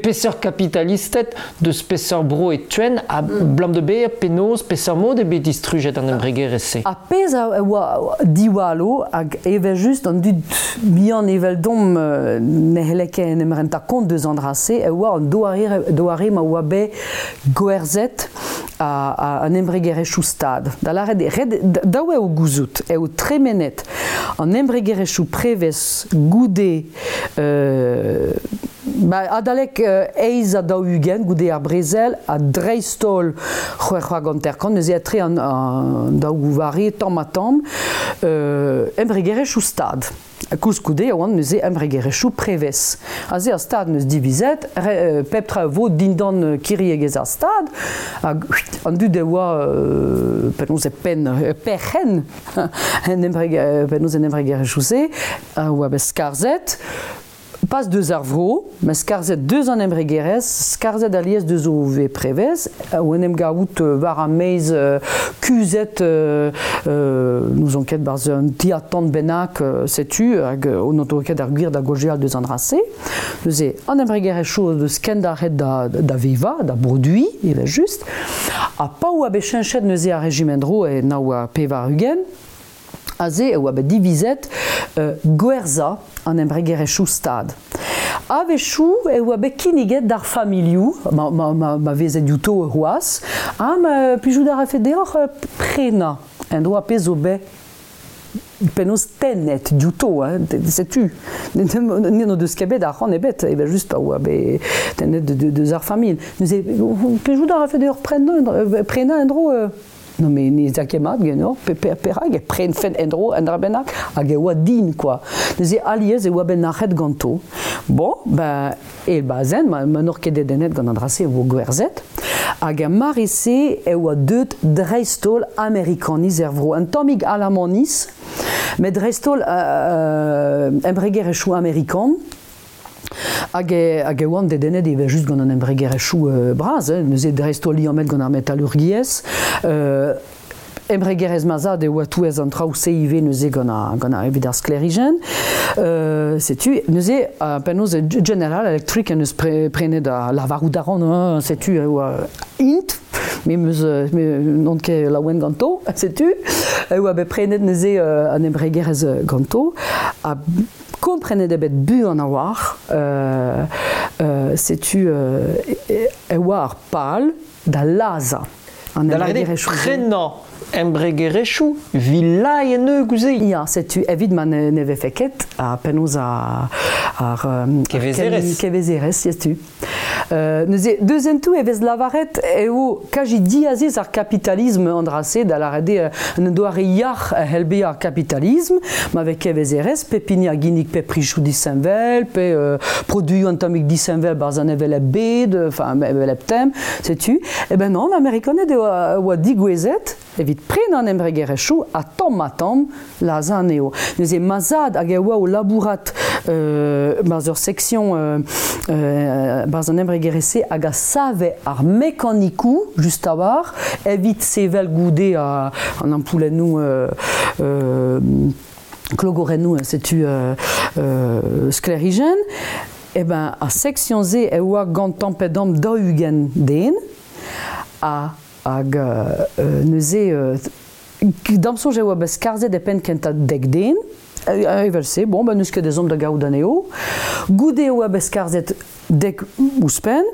Peseurt kapitalisted deus peseurt bro e teuent ha blam de bezañ penaos peseurt mod eo bet distrujet an embregerezh-se? Ar pezh a oa diwallo hag evel-just an dud bihan eveldomp ne c'helle ket en em rentañ kont deus an dra-se e oa an doare ma oa bet gwerzhet an embregerezhioù stad. Da lâret eo, ret dav eo gouzout eo tremenet an embregerezhioù prevez goude ba, adalek 48 goude ar brezel ha dreist-holl 56 neuze etre an daou vare tamm-ha-tamm embregerezhioù stad. Koulskoude e oant neuze embregerezhioù prevez. Aze ar stad n'eus divizet, pep tra vo dindan kiriegezh ar stad, hag an dud e oa penaos e penn perc'henn en penaos en embregerezhioù-se a oa bet skarzhet, pas deus ar vro, met skarzhet deus an embregerezh, skarzhet alies deus o vez prevez, o en em gavout war ar maez kuzhet, n'ouzon ket barzh un ti-atant bennak, setu, hag on n'o ket ar gwir da gaozeal deus an dra-se. Neuze, an embregerezhioù deus kendalc'het da vevañ, da broduiñ, evel-just, ha pa oa bet cheñchet neuze ar rejim en-dro e 89, Aze e oa bet divizet gwerzhañ an embregerezhioù stad. A-wechoù e oa bet kinniget d'ar familhoù, ma veze diouto c'hoazh, ha ma plijout a rafe deoc'h prenañ en doa pezh zo bet penaos tennet diouto, hein, setu. N'o deus ket bet arc'hant ebet, evel-just pa oa bet tennet deus ar familh. Neuze, plijout a rafe deoc'h prenañ en-dro Non mais ne za ket mat ganeoc'h, perak e prenfen en-dro un dra bennak hag e oa din quoi. Neuze alies e oa bet nac'het ganto. Bon, ben, el bazenn, ma n'oc'h ket dedennet gant an dra-se e vo gwerzhet. Hag er mare-se e oa deuet dreist-holl Amerikaniz er vro. Un tammig Alamaniz, met dreist-holl embregerezhioù amerikan. Hag e oant dedennet evel-just gant an embregerezhioù bras, hein, neuze dreist-holl liammet gant ar metalurgiezh. Embregerezh ma zad e oa touez an traoù-se ivez neuze gant ar, evit ar sklêrijenn. Setu neuze penaos General Electric en deus prenet a lavarout a ran, hein, setu e oa int, me 'meus n'on ket laouen ganto, setu e oa bet prenet neuze an embregerezh ganto. Ha Komprenet eo bet buan a-walc'h, setu e oa ar pal da lazhañ an Da lâret eo embregerezhioù-se. Prenañ embregerezhioù vilaen gouze. Ya, setu evit ma ne vefe ket ha penaos ar Kevezerezh. Kevezerezh, setu. Neuze, deus en tout e vez lavaret eo kaji diazez ar kapitalism an dra-se, da lâret eo un doare yac'h a c'hell bezañ ar kapitalism, ma vez kevezerezh, pep hini a ginnig pe prichoù disheñvel, pe produioù un tammig disheñvel barzh an hevelep bed, enfin, hevelep tem, setu. Eh ben non, an Amerikaned eo a oa digouezhet evit prenañ an embregerezhioù ha tamm-ha-tamm lazhañ anezho. Neuze ma zad hag e oa o labourat barzh ur section barzh an embregerezh-se hag a save ar mekanikoù just a-walc'h evit sevel goude an ampoulennoù klogorennoù, setu sklêrijenn. Eh ben ar section-se e oa gant tamm-pe-damm 40 den ha hag neuze da'm soñj e oa bet skarzhet e penn kentañ 10 den. Evel-se, bon, ben n'eus ket ezhomm da gaout anezho. Goude e oa bet skarzhet 10 ouzhpenn.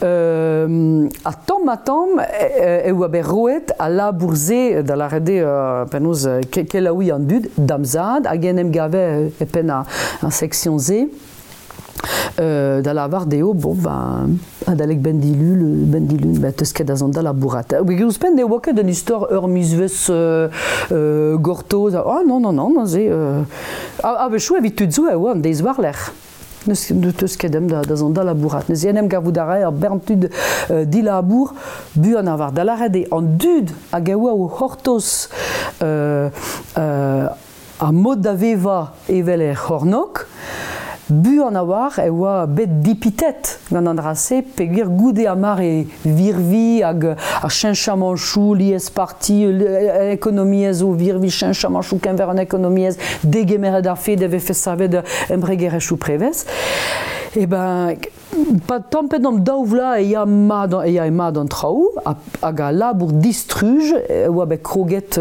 Ha tamm-ha-tamm e oa bet roet al labour-se da lâret eo penaos kelaouiñ an dud da'm zad hag en em gave e penn ar section-se. Da lavar dezho, bon, ben, adalek benn dilun, ben, teus ket da zont da labourat. Ouzhpenn ne oa ket un istor ur mizvezh gortoz. Ah non, non, non, neuze, a-wechoù evit tud zo e oa an deiz war-lerc'h. N'eus teus ket da zont da labourat. Neuze en em gavout a rae ur bern tud dilabour buan a war. Da lâret eo an dud hag a oa o c'hortoz ar mod da vevañ evel er c'hornôg, buan a-walc'h e oa bet dipitet gant an dra-se peogwir goude ar mare virvi hag ar cheñchamanchoù liesparti, ekonomiezh o virvi, cheñchamanchoù keñver an ekonomiezh, degemeret ar fed e vefe savet embregerezhioù prevez. Eh ben, pa tamm pe damm daou vloaz e ya mat e ya mat an traoù hag al labour distruj e oa bet kroget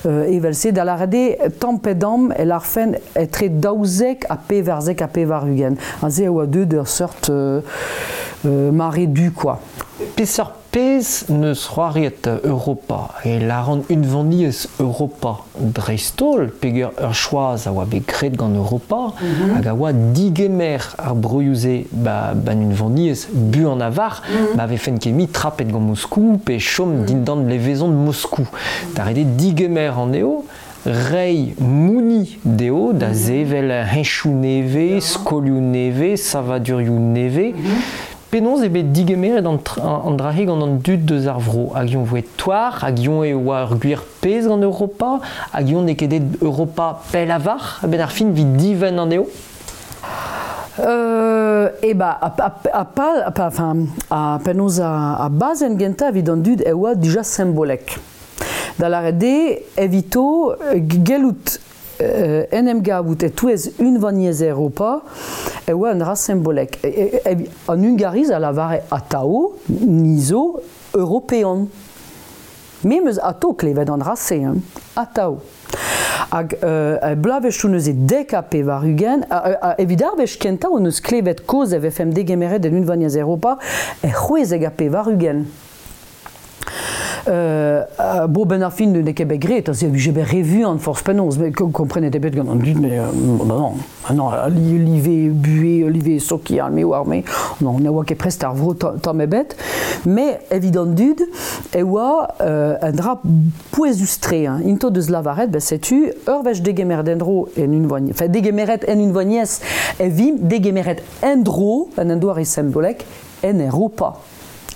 evel-se da lâret eo tamm pe damm e lârfen etre 94 ha 80. Aze e oa deuet ur seurt mare du quoi. Peseurt pezh neus c'hoariet Europa e lâran Unvaniezh Europa dreist-holl peogwir ur choaz a oa bet graet gant Europa hag a oa digemer ar broioù-se ba an Unvaniezh buan a-walc'h ma vefen ket mui trapet gant Moskou pe chom dindan levezon Moskou. Da ret eo digemer anezho, reiñ mouni dezho da sevel henchoù nevez, skolioù nevez, savadurioù nevez. Penaos eo bet digemeret an dra-se gant an dud deus ar vro? Hag eñ voe toar, hag eñ e oa ur gwir pezh gant Europa, hag eñ n'eo ket aet Europa pell a-walc'h a-benn ar fin evit divenn anezho? E ba, a pal, enfin, a penaos a bazenn gentañ evit an dud e oa dija simbolek. Da lâret eo, evito gellout en em gavout e-touez unvaniezh Europa e oa un dra simbolek. An Hungariz a lavare atav ni zo european. Me 'm eus atav klevet an dra-se, hein, atav. Hag bloavezhioù neuze 90, evit ar wech kentañ hon eus klevet kaoz e vefemp degemeret en unvaniezh Europa er 96. Bo ben ar fin n'eo ket bet graet, se vije bet re vuan forzh penaos, met komprenet eo bet gant an dud, mais non, non, live buhez, live sokial, me oar me, non, ne oa ket prest ar vro tamm ebet, mais evit an dud e oa un dra pouezus-tre, hein. Int o deus lavaret, ben setu, ur wech degemeret en-dro en unvaniezh, enfin degemeret en unvaniezh, e vimp degemeret en-dro, en un doare simbolek, en Europa.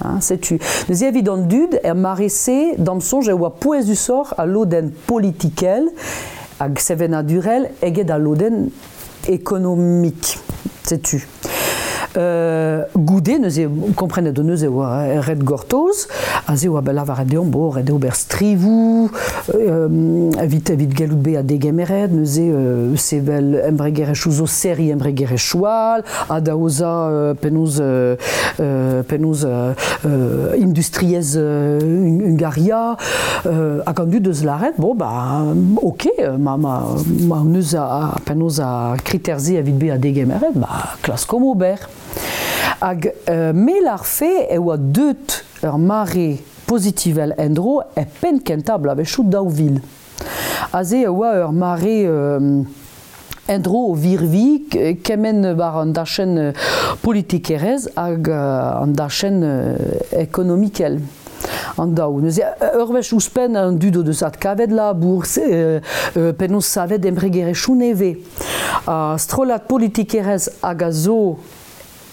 Hein, setu. Neuze evit an dud, er mare-se, da'm soñj e oa pouezusoc'h al lodenn politikel hag sevenadurel eget al lodenn ekonomik. Setu. Goude Goude neuze komprenet hon eus e oa ret gortoz, aze oa bet lavaret deomp, bo, ret eo ober strivoù evit evit gellout bezañ degemeret, neuze sevel embregerezhioù zo serriñ embregerezhioù all, adaozañ penaos penaos industriezh Hungaria, hag an dud eus lâret, bon, bah, ok, ma, ma, ma hon eus a, penaos ar kriter-se evit bezañ degemeret, bah, klaskomp ober. Hag me lârfe e oa deut ur mare pozitivel en-dro e penn kentañ bloavezhioù 2000. Aze e oa ur mare en-dro o virviñ kement war an dachenn politikerezh hag an dachenn ekonomikel. An daou. Neuze, ur wech ouzhpenn an dud o deus adkavet labour, penaos savet embregerezhioù nevez. Ha strollad politikerezh hag a zo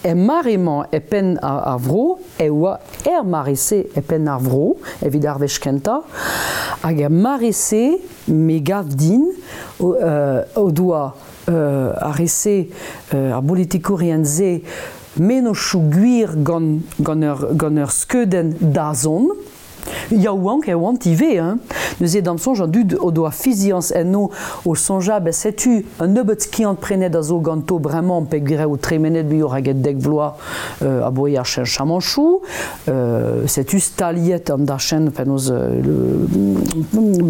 er mare-mañ e penn ar vro e oa er mare-se e penn ar vro evit ar wech kentañ hag er mare-se me gav din o doa ar re-se ar bolitikourien-se mennozhioù gwir gant gant ur gant ur skeudenn dazont Yaouank e oant ivez hein. Neuze d'am soñj an dud o doa fiziañs enno o soñjal ben setu un nebeud skiant-prenet a zo ganto bremañ peogwir eo tremenet muioc'h eget dek vloaz aboe ar cheñchamanchoù. Setu staliet an dachenn penaos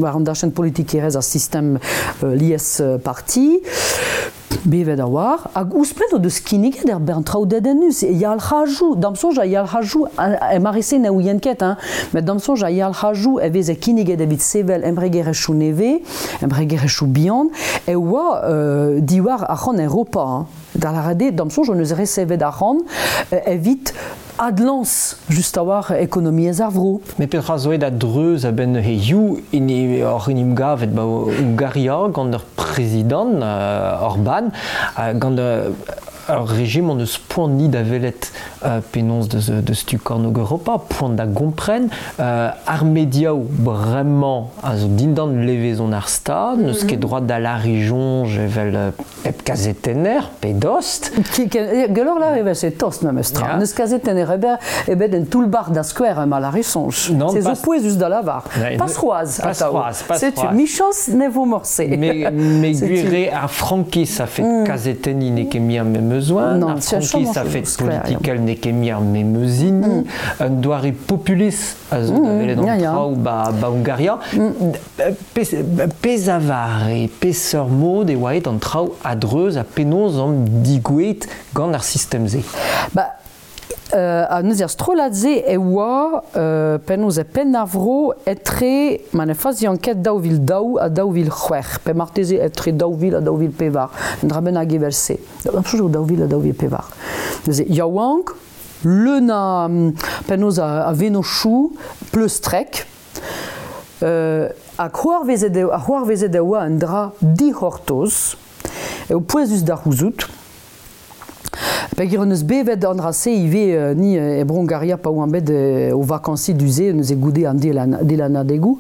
war an dachenn politikerezh ar sistem lies parti. Bevet a oar, hag ouzhpenn o deus kinniget er bern traoù dedennus, e yalc'hajoù, d'am soñj a yalc'hajoù, e mare-se ne ouien ket, hein, met d'am soñj a yalc'hajoù e veze kinniget evit sevel embregerezhioù nevez, embregerezhioù bihan, e oa diwar arc'hant Europa. Hein. Da lâret eo, d'am soñj, hon eus resevet arc'hant evit adlañs just a-walc'h ekonomiezh ar vro. Met petra zo aet a-dreuz a-benn hiziv oc'h en em gavet ba Hungaria gant ur prezidant Orban gant ur rejim hon eus poan ni da welet penaos deus tu kornôg Europa, poan da gompren. Ar mediaoù bremañ a zo dindan levezon ar Stad, n'eus ket droad da lâriñ soñj evel Hep kazetenner pe dost. Gwelloc'h lâret evel-se tost memes tra. N'eus kazetenner ebet en toull-bac'h da skouer ma lâre soñj. Se zo pouezus da lavar. Pas c'hoazh atav. Setu, michañs ne vo morse. Mais gwir eo ar frankiz a fet kazetenniñ n'eo ket mui ar memes oan, ar frankiz a fet politikel n'eo ket mui ar memes hini, un doare populist a zo da welet an traoù ba Hungaria. Pezh a vare, peseurt mod e oa aet an traoù a-dreuz ha penaos omp digouezhet gant ar sistem-se? Ba, ha neuze ar strollad-se e oa penaos e penn ar vro etre, ma ne fazian ket, 2002 ha 2006, pe marteze etre 2000 ha 2004, un dra bennak evel-se. Am soñj eo 2000 ha 2004. Neuze yaouank, leun a penaos a vennozhioù pleustrek, Ha c'hoarvezet eo, ha c'hoarvezet e oa un dra dic'hortoz, eo pouezus da c'houzout. Peogwir hon eus bevet an dra-se ivez ni e Bro-Hungaria pa oamp bet o vakañsiñ du-se, neuze goude an dilanadegoù.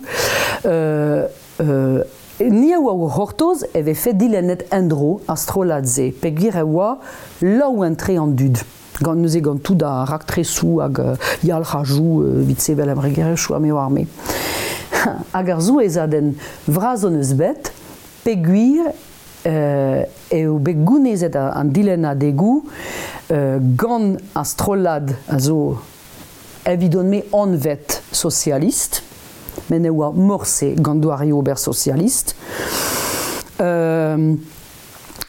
Ni a oa o c'hortoz e vefe dilennet en-dro ar strollad-se, peogwir e oa laouen-tre an dud. Gant neuze gant tout ar raktresoù hag yalc'hajoù evit sevel embregerezhioù ha me oar me. Hag ar souezhadenn vras hon eus bet peogwir eo bet gounezet an dilennadegoù gant ar strollad a zo evidon-me anvet sosialist, met ne oa morse gant doareoù ober sosialist.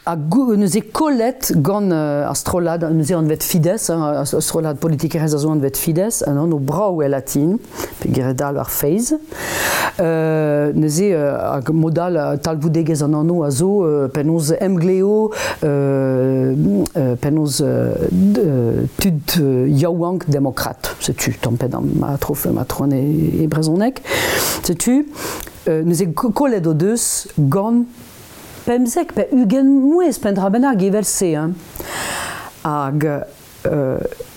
Ha neuze kollet gant ar strollad neuze anvet Fidesz, hein, ar strollad politikerezh a zo anvet Fidesz, un anv brav e latin, peogwir dal ar feiz. Neuze hag mod all talvoudegezh an anv a zo penaos emglev, penaos tud yaouank demokrat, setu tamm-pe damm ma trofe ma tron e brezhoneg. Setu neuze kollet o deus gant 15 pe 20 mouezh pe un dra bennak evel-se hein. Hag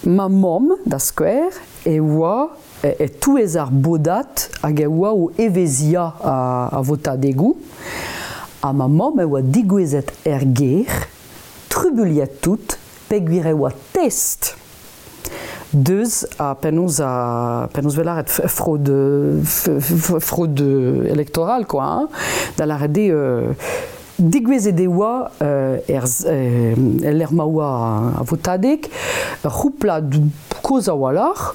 ma mamm, da skouer, e oa e-touez ar bodad hag e oa o evezhiañ ar votadegoù. Ha ma mamm e oa degouezhet er gêr, trubuilhet tout, peogwir e oa test. Deus a penaos a penaos 'vez lâret fraude fraude électorale quoi hein, da lâret eo degouezhet e oa er el lec'h ma oa ar votadeg ur c'houplad kozh a-walc'h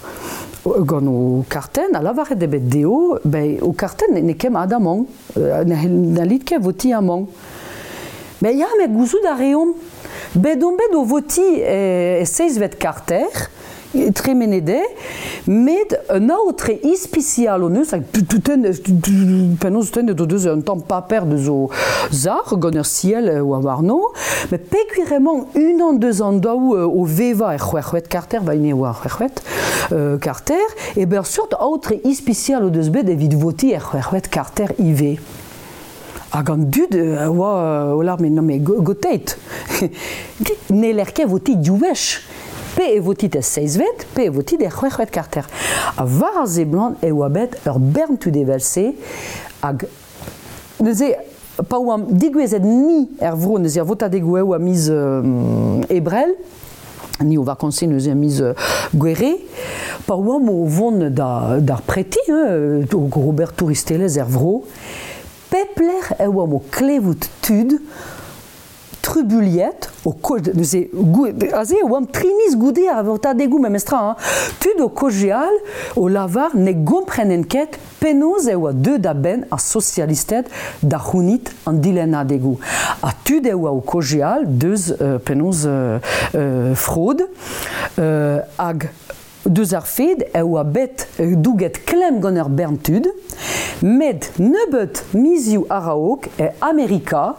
gant ho kartenn ha lavaret eo bet dezho ben ho kartenn n'eo ket mat amañ n'hallit ket votiñ amañ. Ben ya met gouzout a reomp bet omp bet o votiñ e seizhvet karter tremenet eo, met un aotre ispisial hon eus, hag penaos tennet o deus un tamm paper deus o sac'h gant ur siell oa warno, met peogwir emañ unan deus an daou o vevañ er c'hwec'hvet karter, va hini e oa ar c'hwec'hvet karter, e ben ur seurt aotre ispisial o deus bet evit votiñ er c'hwec'hvet karter ivez. Hag an dud a oa o lâr, mais non mais goteit, n'heller ket votiñ div wech. Pe e votit er seizhvet, pe e votit er c'hwec'hvet karter. Ha war a seblant e oa bet ur bern tud evel-se, hag neuze pa oamp degouezhet ni er vro, neuze ar votadegoù eo a miz Ebrel, ni o vakañsiñ neuze a miz Gouere, pa oamp o vont d'ar preti, hein, ober touristelezh er vro, pep lec'h e oamp o klevout tud trubuilhet o neuze aze e oamp tri miz goude ar votadegoù memestra hein, tud o kaozeal o lavar ne gomprenent ket penaos e oa deuet a-benn ar sosialisted da c'hounit an dilennadegoù ha tud e oa o kaozeal deus penaos fraude hag deus ar fed e oa bet douget klemm gant ur bern tud met nebeut mizioù a-raok e Amerika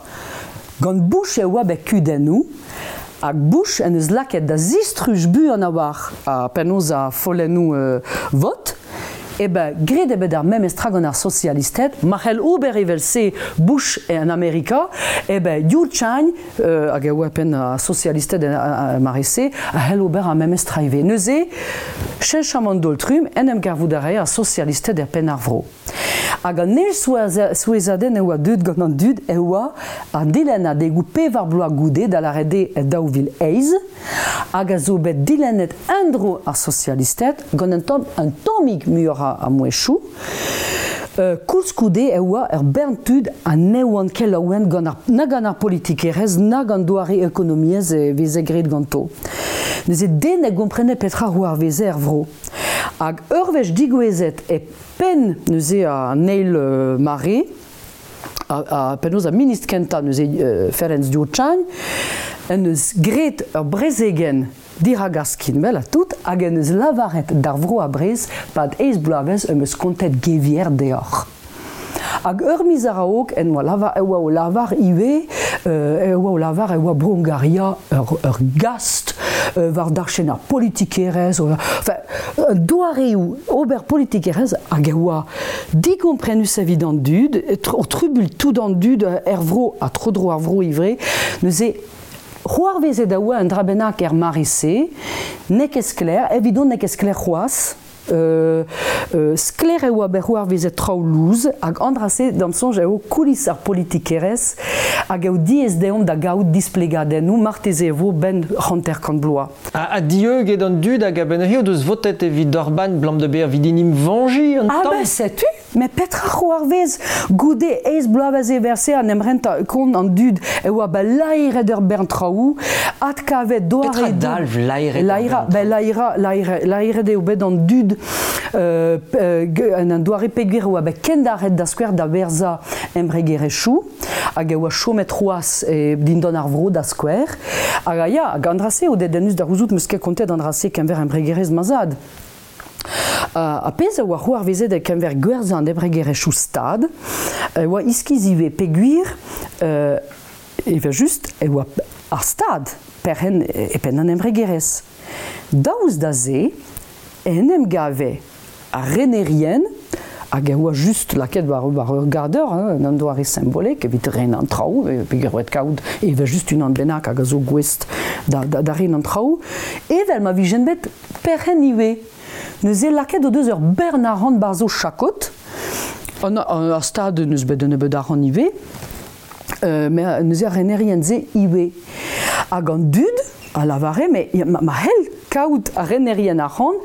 Gant Bush e oa bet kudennoù, hag Bush en deus lakaet da zistruj buan a-walc'h ha penaos ar follennoù vot, eh ben graet eo bet ar memes tra gant ar sosialisted, ma c'hell ober evel-se Bush en Amerika, eh ben Yu Chang, hag e oa penn ar sosialisted er mare-se, a c'hell ober ar memes tra ivez. Neuze, cheñchamant daol-trumm, en em gavout a rae ar sosialisted er penn ar vro. Hag an eil souezhadenn e oa deuet gant an dud e oa an dilennadegoù pevar bloaz goude, da lâret eo e 2008, hag a zo bet dilennet en-dro ar sosialisted gant un tamm un tammig muioc'h a mouezhioù. Koulskoude e oa ur bern tud ha ne oant ket laouen gant ar, na gant ar politikerezh na gant doare ekonomiezh e veze graet ganto. Neuze den ne gomprene petra c'hoarveze er vro. Hag ur wech degouezhet e penn neuze an eil mare, ha penaos ar ministr kentañ neuze Ferenc Gyurcsány en deus graet ur brezegenn dirak ar skinwel ha tout hag en deus lavaret d'ar vro a-brez pad eizh bloavezh em eus kontet gevier deoc'h. Hag ur miz a-raok en oa lavar, e oa o lavar ivez e oa o lavar e oa Bro-Hungaria ur gast war dachenn ar politikerezh, enfin, doareoù ober politikerezh hag e oa digomprenus evit an dud, o trubuilh tout an dud er vro ha tro-dro ar vro ivez. Neuze, c'hoarvezet a oa un dra bennak er mare-se, n'eo ket sklaer, evidon n'eo ket sklaer c'hoazh. Sklaer e oa bet c'hoarvezet traoù lous hag an dra-se d'am soñj eo koulis ar politikerezh hag eo diaes deomp da gaout displegadennoù marteze e vo 'benn 50 bloaz. Ha dieuget an dud hag a-benn neuze o deus votet evit Orban 'blam da bezañ evit en em veñjiñ un Ah tamm? ben setu! Met petra c'hoarvez goude eizh bloavezh evel-se en em rentañ kont an dud e oa bet laeret ur bern traoù, adkavet doare... Petra dalv laeret Laera, ben laera, laera, laeret eo bet an dud en un doare peogwir e oa bet kendaret da skouer da werzhañ embregerezhioù hag e oa chomet c'hoazh dindan ar vro da skouer. Hag ya, hag an dra-se eo dedennus da c'houzout, 'm eus ket kontet an dra-se keñver embregerezh ma zad. Ar pezh a oa c'hoarvezet e-keñver gwerzhañ an embregerezhioù Stad e oa iskis ivez peogwir evel-just e oa ar Stad perc'henn e penn an embregerezh. Daoust da se en em gave ar renerien hag e oa just lakaet war ur gador hein, en un doare simbolek evit ren an traoù, peogwir oa kaout evel-just unan bennak hag a zo gouest da ren an traoù, evel ma vijent bet perc'henn ivez. Neuze lakaet o deus ur bern arc'hant 'barzh o chakod. Ar stad n'eus bet un nebeud arc'hant ivez, met neuze ar renerien-se ivez. Hag an dud a lavare, mais ma c'hell kaout ar renerien arc'hant,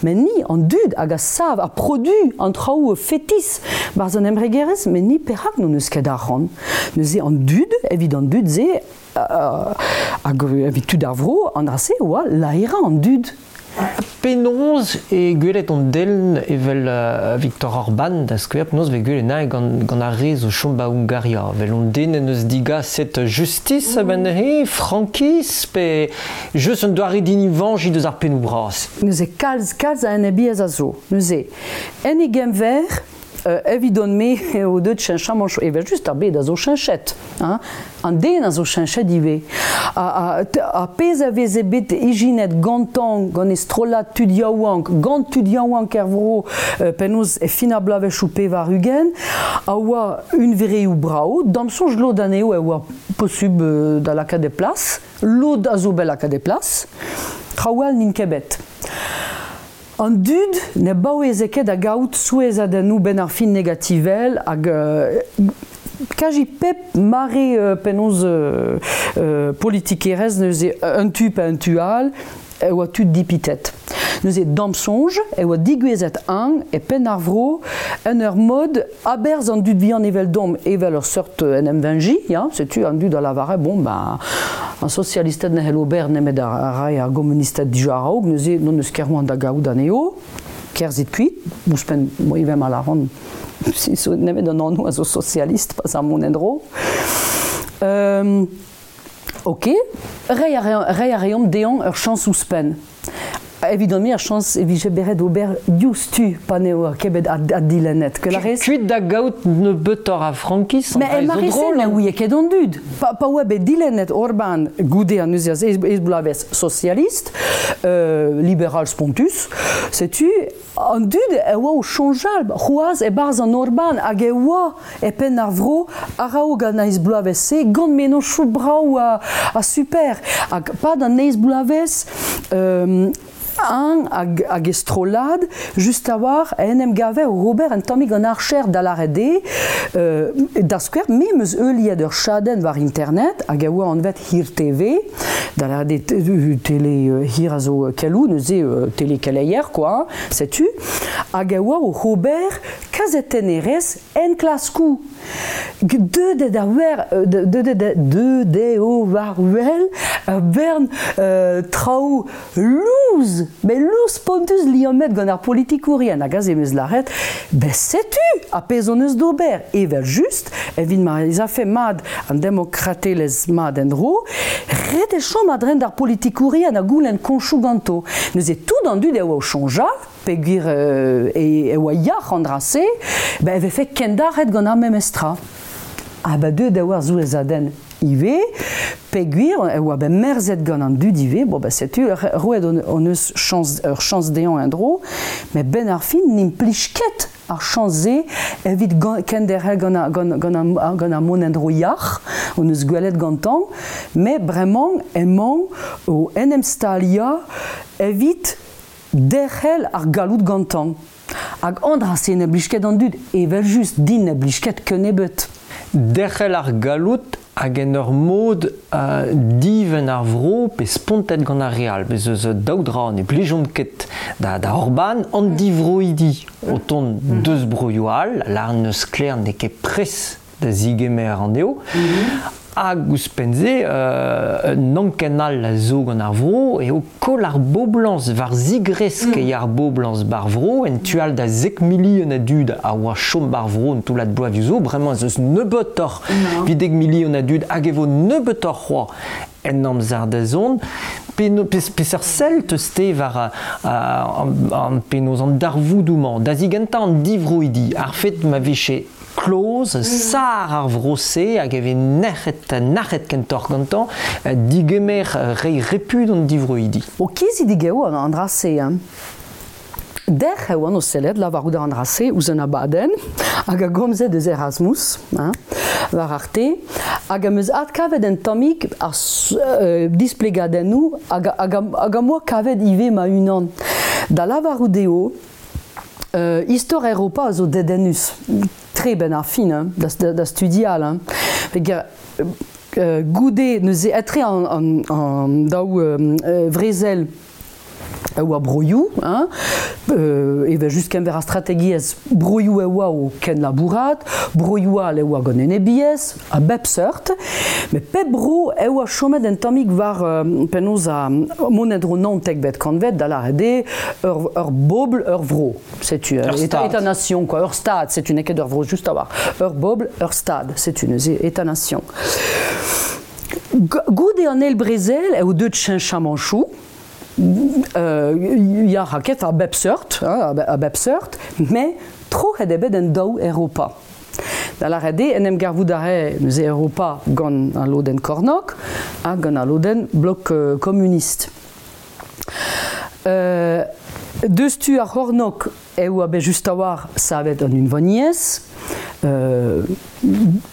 met ni an dud hag a sav a produ an traoù fetis barzh an embregerezh, met ni perak n'hon eus ket arc'hant. Neuze an dud, evit an dud-se, hag evit tud ar vro, an dra-se oa laerañ an dud. Penaos e gwelet an den evel Viktor Orban, da skouer, penaos e vez gwelet anezhañ gant, gant ar re zo chom ba Hungaria? Evel an den en deus digaset justis a-benn neuze, frankiz, pe just un doare dinivañjiñ deus ar pennoù bras? Neuze kalz, kalz a enebiezh a zo. Neuze, en e genver, evidon-me eo deuet cheñchamant evel-just ar bed a zo cheñchet hein an den a zo cheñchet ivez ha, ha, pezh a veze bet ijinet gantañ gant e strollad tud yaouank gant tud yaouank er vro penaos e fin ar bloavezhioù 80 a oa hunvreoù brav d'am soñj lod anezho e oa posubl da lakaat e plas lod a zo bet lakaat e plas traoù all n'int ket bet. An dud ne baoueze ket da gaout souezhadennoù benn ar fin negativel hag kazi pep mare penaos politikerezh neuze un tu pe un tu all e oa tud dipitet. Neuze d'am soñj e oa degouezhet eñ e penn ar vro en ur mod aberzh an dud vihan eveldomp evel ur seurt en em veñjiñ, ya, setu an dud a lavare bon ben An sosialisted ne c'hell ober nemet ar rae ar gomunisted dija a-raok, neuze n'hon eus ket c'hoant da gaout anezho. Kerzhit kuit, ouzhpenn ivez ma lâran nemet an anv a zo sosialist pas ar mont en-dro. Ok, reiñ a reomp dezhañ ur chañs ouzhpenn. Evidon-me ar chañs e vije bet ret ober diouzhtu pa n'eo ket bet addilennet. Que la rez... Kuit da gaout nebeutoc'h a frankiz, Mais en mare-se ne ouie ket an dud. Pa, pa oa bet dilennet Orban goude an neuze ez bloavezh socialist, liberal spontus, setu an dud e oa o soñjal c'hoazh e-barzh an Orban hag e oa e penn ar vro a-raok an eizh bloavezh-se gant mennozhioù brav ha super. Hag pad an eizh bloavezh eñ hag e strollad just a-walc'h en em gave o ober un tammig an archer da lâret eo da skouer me 'm eus heuliet ur chadenn war internet hag a oa anvet Hir TV da lâret eo tele hir a zo keloù neuze tele keleier quoi setu hag a oa oc'h ober kazetennerezh enklaskoù deuet da wer deuet eo war wel ur bern traoù louz met louz spontus liammet gant ar politikourien hag aze em eus lâret ben setu ar pezh hon eus d'ober evel-just evit ma ez afe mat an demokratelezh mat en-dro ret eo chom a-dreñv d'ar politikourien ha goulenn koñchoù ganto neuze tout an dud a oa o soñjal peogwir e oa yac'h an dra-se, ben e vefe kendalc'het gant ar memes tra. Ha ben deuet e oa ar souezhadenn ivez, peogwir e oa bet merzet gant an dud ivez, bon ben setu, roet hon eus chañs, ur chañs dezhañ en-dro, met benn ar fin n'implij ket ar chañs-se evit kenderc'hel gant, gant, gant, gant ar mont en-dro yac'h hon eus gwelet gantañ, met bremañ emañ o en em staliañ evit derc'hel ar galloud gantañ. Hag an dra-se ne blij ket an dud, evel-just, din ne blij ket kennebeut. Derc'hel ar galloud hag en ur mod divenn ar vro pe spontet gant ar re all. Bez eus daou dra ne blijont ket da, da Orban, an divroidi o tont deus broioù all, lâr n'eus sklaer n'eo ket pres da zigemer anezho. Hag ouzhpenn-se, un anken all a zo gant ar vro eo koll ar boblañs war zigresk eo ar boblañs ba'r vro, en tu all da zek milion a dud a oa chom ba'r vro un toullad bloavezhioù zo, bremañ ez eus nebeutoc'h evit dek milion a dud hag e vo nebeutoc'h c'hoazh en amzer da zont. Peseurt sell teus-te war an penaos an darvoudoù-mañ? Da zigentañ an divroidi, ar fed ma vije kloz, sar ar vro-se hag e vez nec'het, nac'het kentoc'h gantañ digemer reiñ repu d'an divroidi. O kizidik eo an dra-se. Hein. Dec'h e oan o sellet lavarout an dra-se ouzh un abadenn hag a gomze deus Erasmus hein, war Arte hag am eus adkavet un tammig ar displegadennoù hag, hag, hag am boa kavet ivez ma-unan. Da lavarout eo Istor Europa a zo dedennus tre benn ar fin hein, da, da, da studial. Hein. Peger, goude neuze etre an, an, an daou vrezel e oa broioù, hein, evel just kenver ar strategiezh broioù e oa o kenlabourat, broioù all e oa gant enebiezh, a bep seurt, met pep bro e oa chomet un tammig war penaos a mont en-dro 19vet kantved, da lâret eo ur bobl, ur vro. Setu, état-nation, quoi, ur stad, setu n'eo ket ur vro just a-walc'h. Ur bobl, ur stad, setu neuze état-nation. Goude an eil brezel eo deuet cheñchamanchoù, ya raket a bep seurt, hein, a bep seurt, met troc'het eo bet en daou Europa. Da lâret eo en em garvout a rae neuze Europa gant al lodenn kornôg ha gant al lodenn blok komunist. Deus tu ar c'hornôg e oa bet just a-walc'h savet an unvaniezh.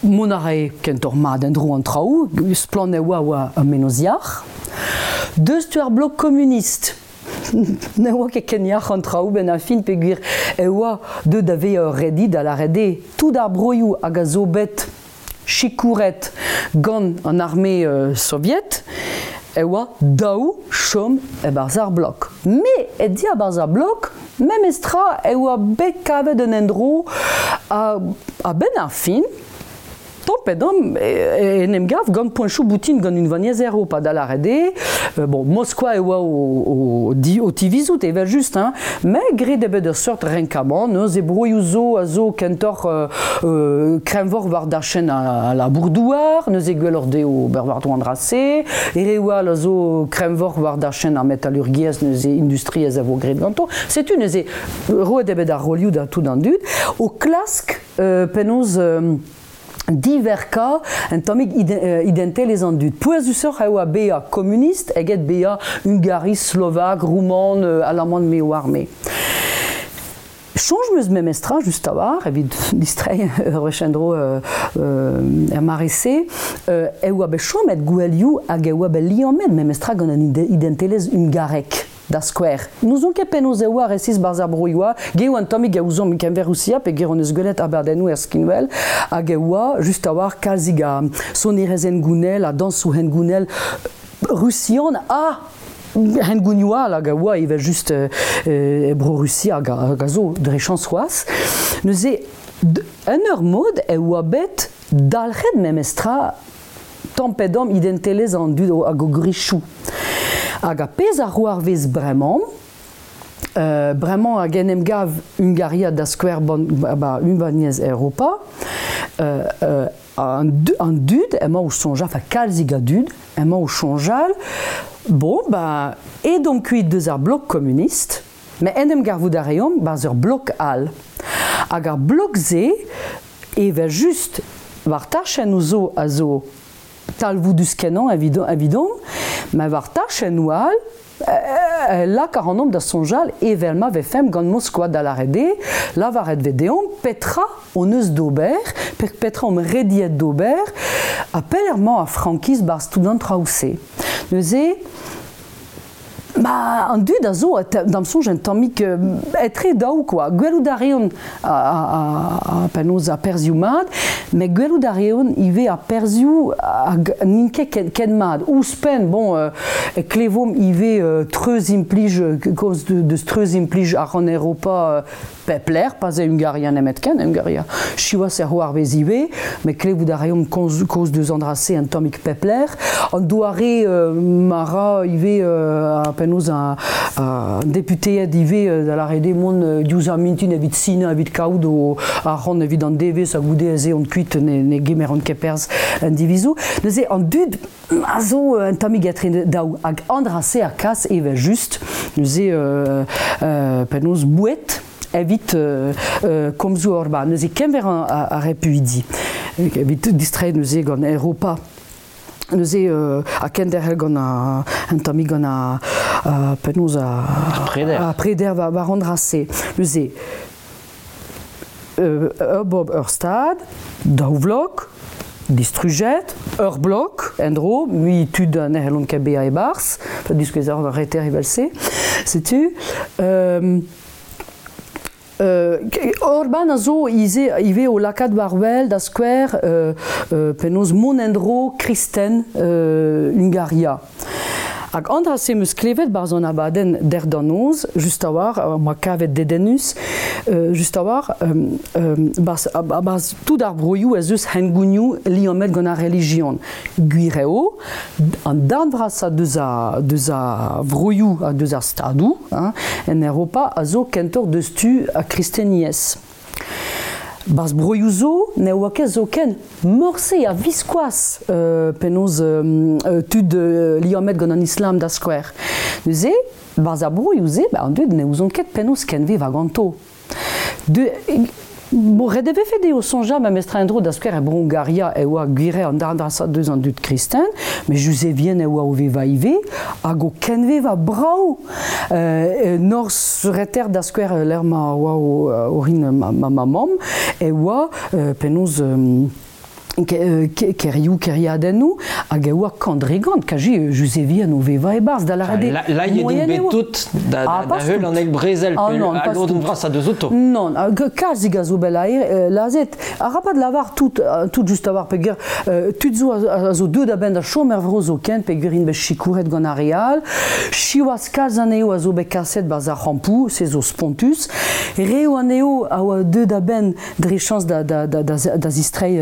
Mont a rae kentoc'h mat en-dro an traoù, splann e oa oa ur mennozh yac'h. Deus tu ar blok komunist, ne oa ket ken yac'h an traoù benn ar fin peogwir e oa deuet da vezañ ur redi da lâret eo tout ar broioù hag a zo bet sikouret gant an arme soviet e oa dav chom e-barzh ar blok. Met e diabarzh ar blok, memestra e oa bet kavet un endro a-benn ar fin, Tamm tamm en em gav gant poenchoù boutin gant unvaniezh Europa, da lâret eo, bon, Moskva e oa o tivizout evel-just, hein, met graet eo bet ur seurt renkamant, neuze broioù zo a zo kentoc'h kreñvoc'h war dachenn al labour-douar, neuze gwelloc'h dezho ober war-dro an dra-se, reoù all a zo kreñvoc'h war dachenn ar metalurgiezh, neuze industriezh a vo graet ganto. Setu neuze roet eo bet ar rolioù da tout an dud o klask penaos diverkañ un tammig identelezh an dud. Pouezusoc'h eo oa bezañ komunist eget bezañ hungariz, slovak, rouman, alaman, me oar me. Soñj 'm eus memestra, just a-walc'h, evit distreiñ ur wech en-dro er mare-se, e oa bet chomet gouelioù hag e oa bet liammet memestra gant an identelezh hungarek. Da skouer, n'ouzon ket penaos e oa resis barzh ar broioù all, ge oa un tammig a ouzomp e-keñver Rusia peogwir hon eus gwelet abadennoù er skinwel hag e oa just a-walc'h kalzik a sonerezh hengounel ha dañsoù hengounel rusian ha hengounioù all hag a oa evel-just e Bro-Rusia hag a zo dre chañs c'hoazh. Neuze, en ur mod e oa bet dalc'het memestra tamm-pe-damm identelezh an dud hag o gwrizioù. Hag ar pezh a c'hoarvez bremañ, bremañ hag en em gav Hungaria da skouer ba Unvaniezh Europa, an dud emañ o soñjal, enfin kalzik a dud emañ o soñjal, bon, ba, edomp kuit deus ar blok komunist, met en em gavout a reomp 'barzh ur blok all. Hag ar blok-se, evel-just, war tachennoù zo a zo talvoudus-kenañ evidomp, met war tachennoù all e lak ac'hanomp da soñjal evel ma vefemp gant Moskva da lâret eo, lavaret vez deomp petra hon eus d'ober, petra omp rediet d'ober, ha pelec'h emañ ar frankiz 'barzh tout an traoù-se. Neuze, Ba, an dud a zo, d'am soñj, un tammig etre daou, quoi. Gwelout a reont a penaos ar perzhioù mat, met gwelout a reont ivez ar perzhioù hag n'int ket ken, ken mat. Ouzhpenn, bon, e klevomp ivez treuzimplij, kaoz deus treuzimplij ar Europa pep lec'h, pas e Hungaria nemetken, Hungaria siwazh er c'hoarvez ivez, met klevout a reomp kaoz deus an dra-se un tammig pep lec'h. An doare ma ra ivez penaos an deputeed ivez da lâret eo mont diouzh ar mintin evit sinañ, evit kaout o arc'hant evit an devezh ha goude ez eont kuit ne, ne gemeront ket perzh en divizoù. Neuze an dud a zo un tammig etre daou hag an dra-se a kas evel-just neuze penaos boued evit komzoù Orban. Neuze kenver ar repuidi evit distreiñ neuze gant Europa. Neuze ha kenderc'hel gant un tammig gant ar penaos ar preder, ar preder war an dra-se. Neuze ur bobl, ur stad, daou vlok, distrujet, ur blok en-dro, mui tud ne c'hellont ket bezañ e-barzh, diskouez ar reter evel-se. Setu. Orban a zo ivez o lakaat war-wel da skouer penaos mont en-dro kristen Hungaria. Hag an dra-se 'm eus klevet 'barzh an abadenn dec'h da noz, just a-walc'h, am boa kavet dedennus, just a-walc'h, 'barzh, 'barzh tout ar broioù ez eus hengounioù liammet gant ar relijion. Gwir eo, an darn vrasañ deus a, deus a vroioù ha deus ar stadoù hein, en Europa a zo kentoc'h deus tu ar kristeniezh. Barzh broioù zo ne oa ket zoken morse a-viskoazh penaos tud liammet gant an islam da skouer. Neuze, barzh ar broioù-se, ba, an dud ne ouzont ket penaos kenvevañ ganto. De, bon, ret e vefe dezho soñjal memestra en-dro da skouer e Bro-Hungaria e oa gwir an darn vrasañ deus an dud kristen, met Juzevien e oa o vevañ ivez, hag o kenvevañ brav. Norzh reter da skouer lec'h ma oa orin ma mamm e oa penaos kêrioù, kêriadennoù, hag e oa kant-dre-gant, kaji Juzevien o vevañ e-barzh, da lâret eo. Lailhet int bet tout da heul an eil brezel, pe al lodenn vrasañ deus outo. Non, kalzik a zo bet lazhet. Arabat lavar tout, tout just a-walc'h peogwir tud zo a zo deuet a-benn da chom er vro zoken peogwir int bet sikouret gant ar re all. Siwazh kalz anezho a zo bet kaset 'barzh ar c'hampoù, se zo spontus. Reoù anezho a oa deuet a-benn dre chañs da, da, da, da, da zistreiñ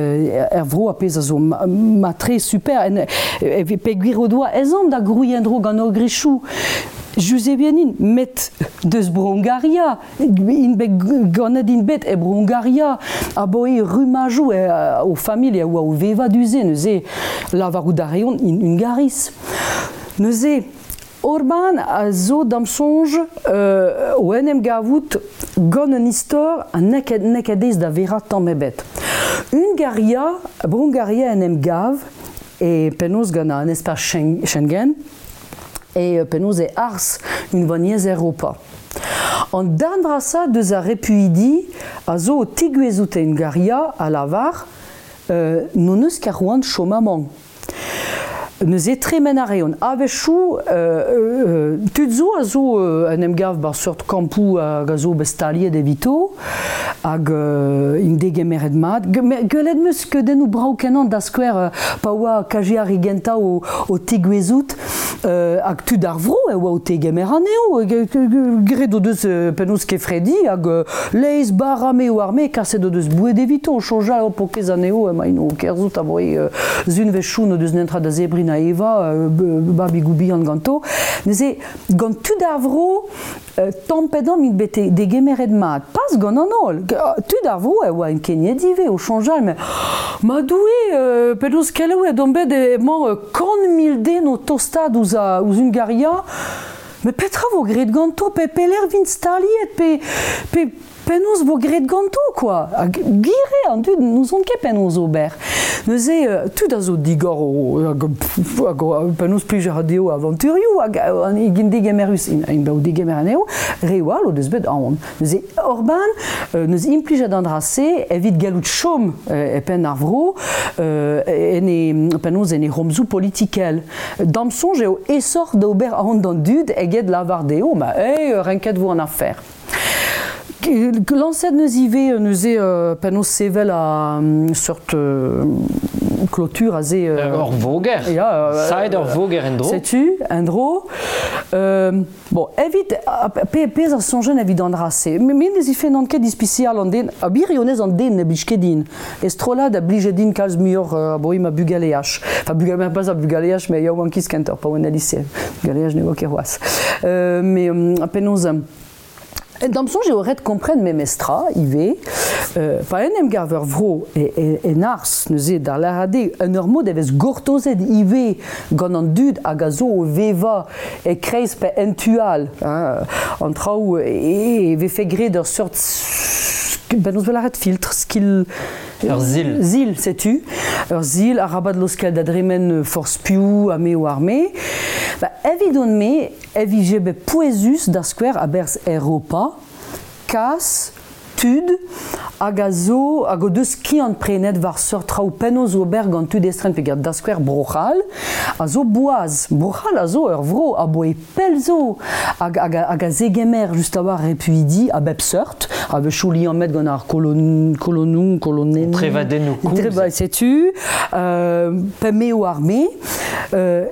er vro ar pezh a zo matre super peogwir o doa ezhomm da grouiñ en-dro gant o grichoù. Juzevien int, met deus Bro-Hungaria int bet ganet int bet e Bro-Hungaria aboe rummajoù o familh a oa o vevañ du-se neuze lavarout a reont int Hungariz. Neuze Orban a zo d'am soñj o en em gavout gant un istor ha n'eo ket aes da verañ tamm ebet. Hungaria, Bro-Hungaria en em gav e penaos gant an espace Schengen e penaos e arz unvaniezh Europa. An darn vrasañ deus ar repuidi a zo o tegouezhout e Hungaria a lavar n'hon eus ket c'hoant chom amañ. Neuze tremen a reont. A-wechoù, tud zo a zo en em gav 'ba seurt kampoù hag a zo bet staliet evito hag int degemeret mat. Gwelet 'm eus skeudennoù brav-kenañ da skouer pa oa kaji ar re gentañ o tegouezhout hag tud ar vro e oa o tegemer anezho. Graet o deus penaos kefredi hag laezh bara me oar me, kaset o deus boued evito o soñjal o pokez anezho emaint o kerzhout aboe Sunvezhioù n'o deus netra da zebriñ na evañ, babigoù bihan ganto. Neuze, gant tud ar vro, tamm pe damm int bet degemeret mat. Pas gant an holl. Tud ar vro e oa ankeniet ivez o soñjal, mais ma Doue, penaos kelaouet omp bet emañ 100 000 den o tostaat ouzh, ouzh Hungaria. Mais petra vo graet ganto? Pe pelec'h vint staliet? Pe, pe penaos vo graet ganto quoi? Hag gwir eo, an dud n'ouzont ket penaos ober. Neuze, tud a zo digor o hag penaos plij a ra dezho avanturioù hag an int degemerus int bet o degemer anezho, reoù all o deus bet aon. Neuze Orban neus implijet an dra-se evit gallout chom e penn ar vro en e penaos en e c'homzoù politikel. D'am soñj eo aesoc'h d'ober aon d'an dud eget lavar dezho ma hey, renket vo an afer. Lañset neus ivez neuze penaos sevel a seurt clôture aze. Ur voger. Ya, Saet ur voger en-dro. Setu, en-dro. Bon, evit pe pezh a soñjen evit an dra-se. Me ne zifennan ket ispisial an den, ha birionez an den ne blij ket din. E strollad a blije din kalz muioc'h aboe ma bugaleaj. Enfin, bugale, pas ar bugaleaj, met yaouankiz kentoc'h, pa oan el lycée. Bugaleaj ne oa ket c'hoazh. Mais penaos D'am soñj eo ret kompren memestra ivez, pa en em gav ur vro en arz neuze da lâret eo en ur mod e vez gortozet ivez gant an dud hag a zo o vevañ e-kreiz pe en tu all hein, an traoù e vefe graet ur seurt penaos 'vo lâret filtr, skill Ur sil. Sil, setu. Ur sil, arabat laoskel da dremen forzh piv ha me oar me. Ba, evidon-me e vije bet pouezus da skouer a-berzh Europa kas tud hag a zo hag o deus skiant prenet war seurt traoù penaos ober gant tud estren peogwir da skouer Bro-C'hall a zo boaz. Bro-C'hall a zo ur vro aboe pell zo hag, hag, hag a zegemer just a-walc'h repuidi a bep seurt, a-wechoù liammet gant ar kolon, kolonoù, kolonennoù. Trevadennoù koulz. Treva, setu, pe m'eo arme.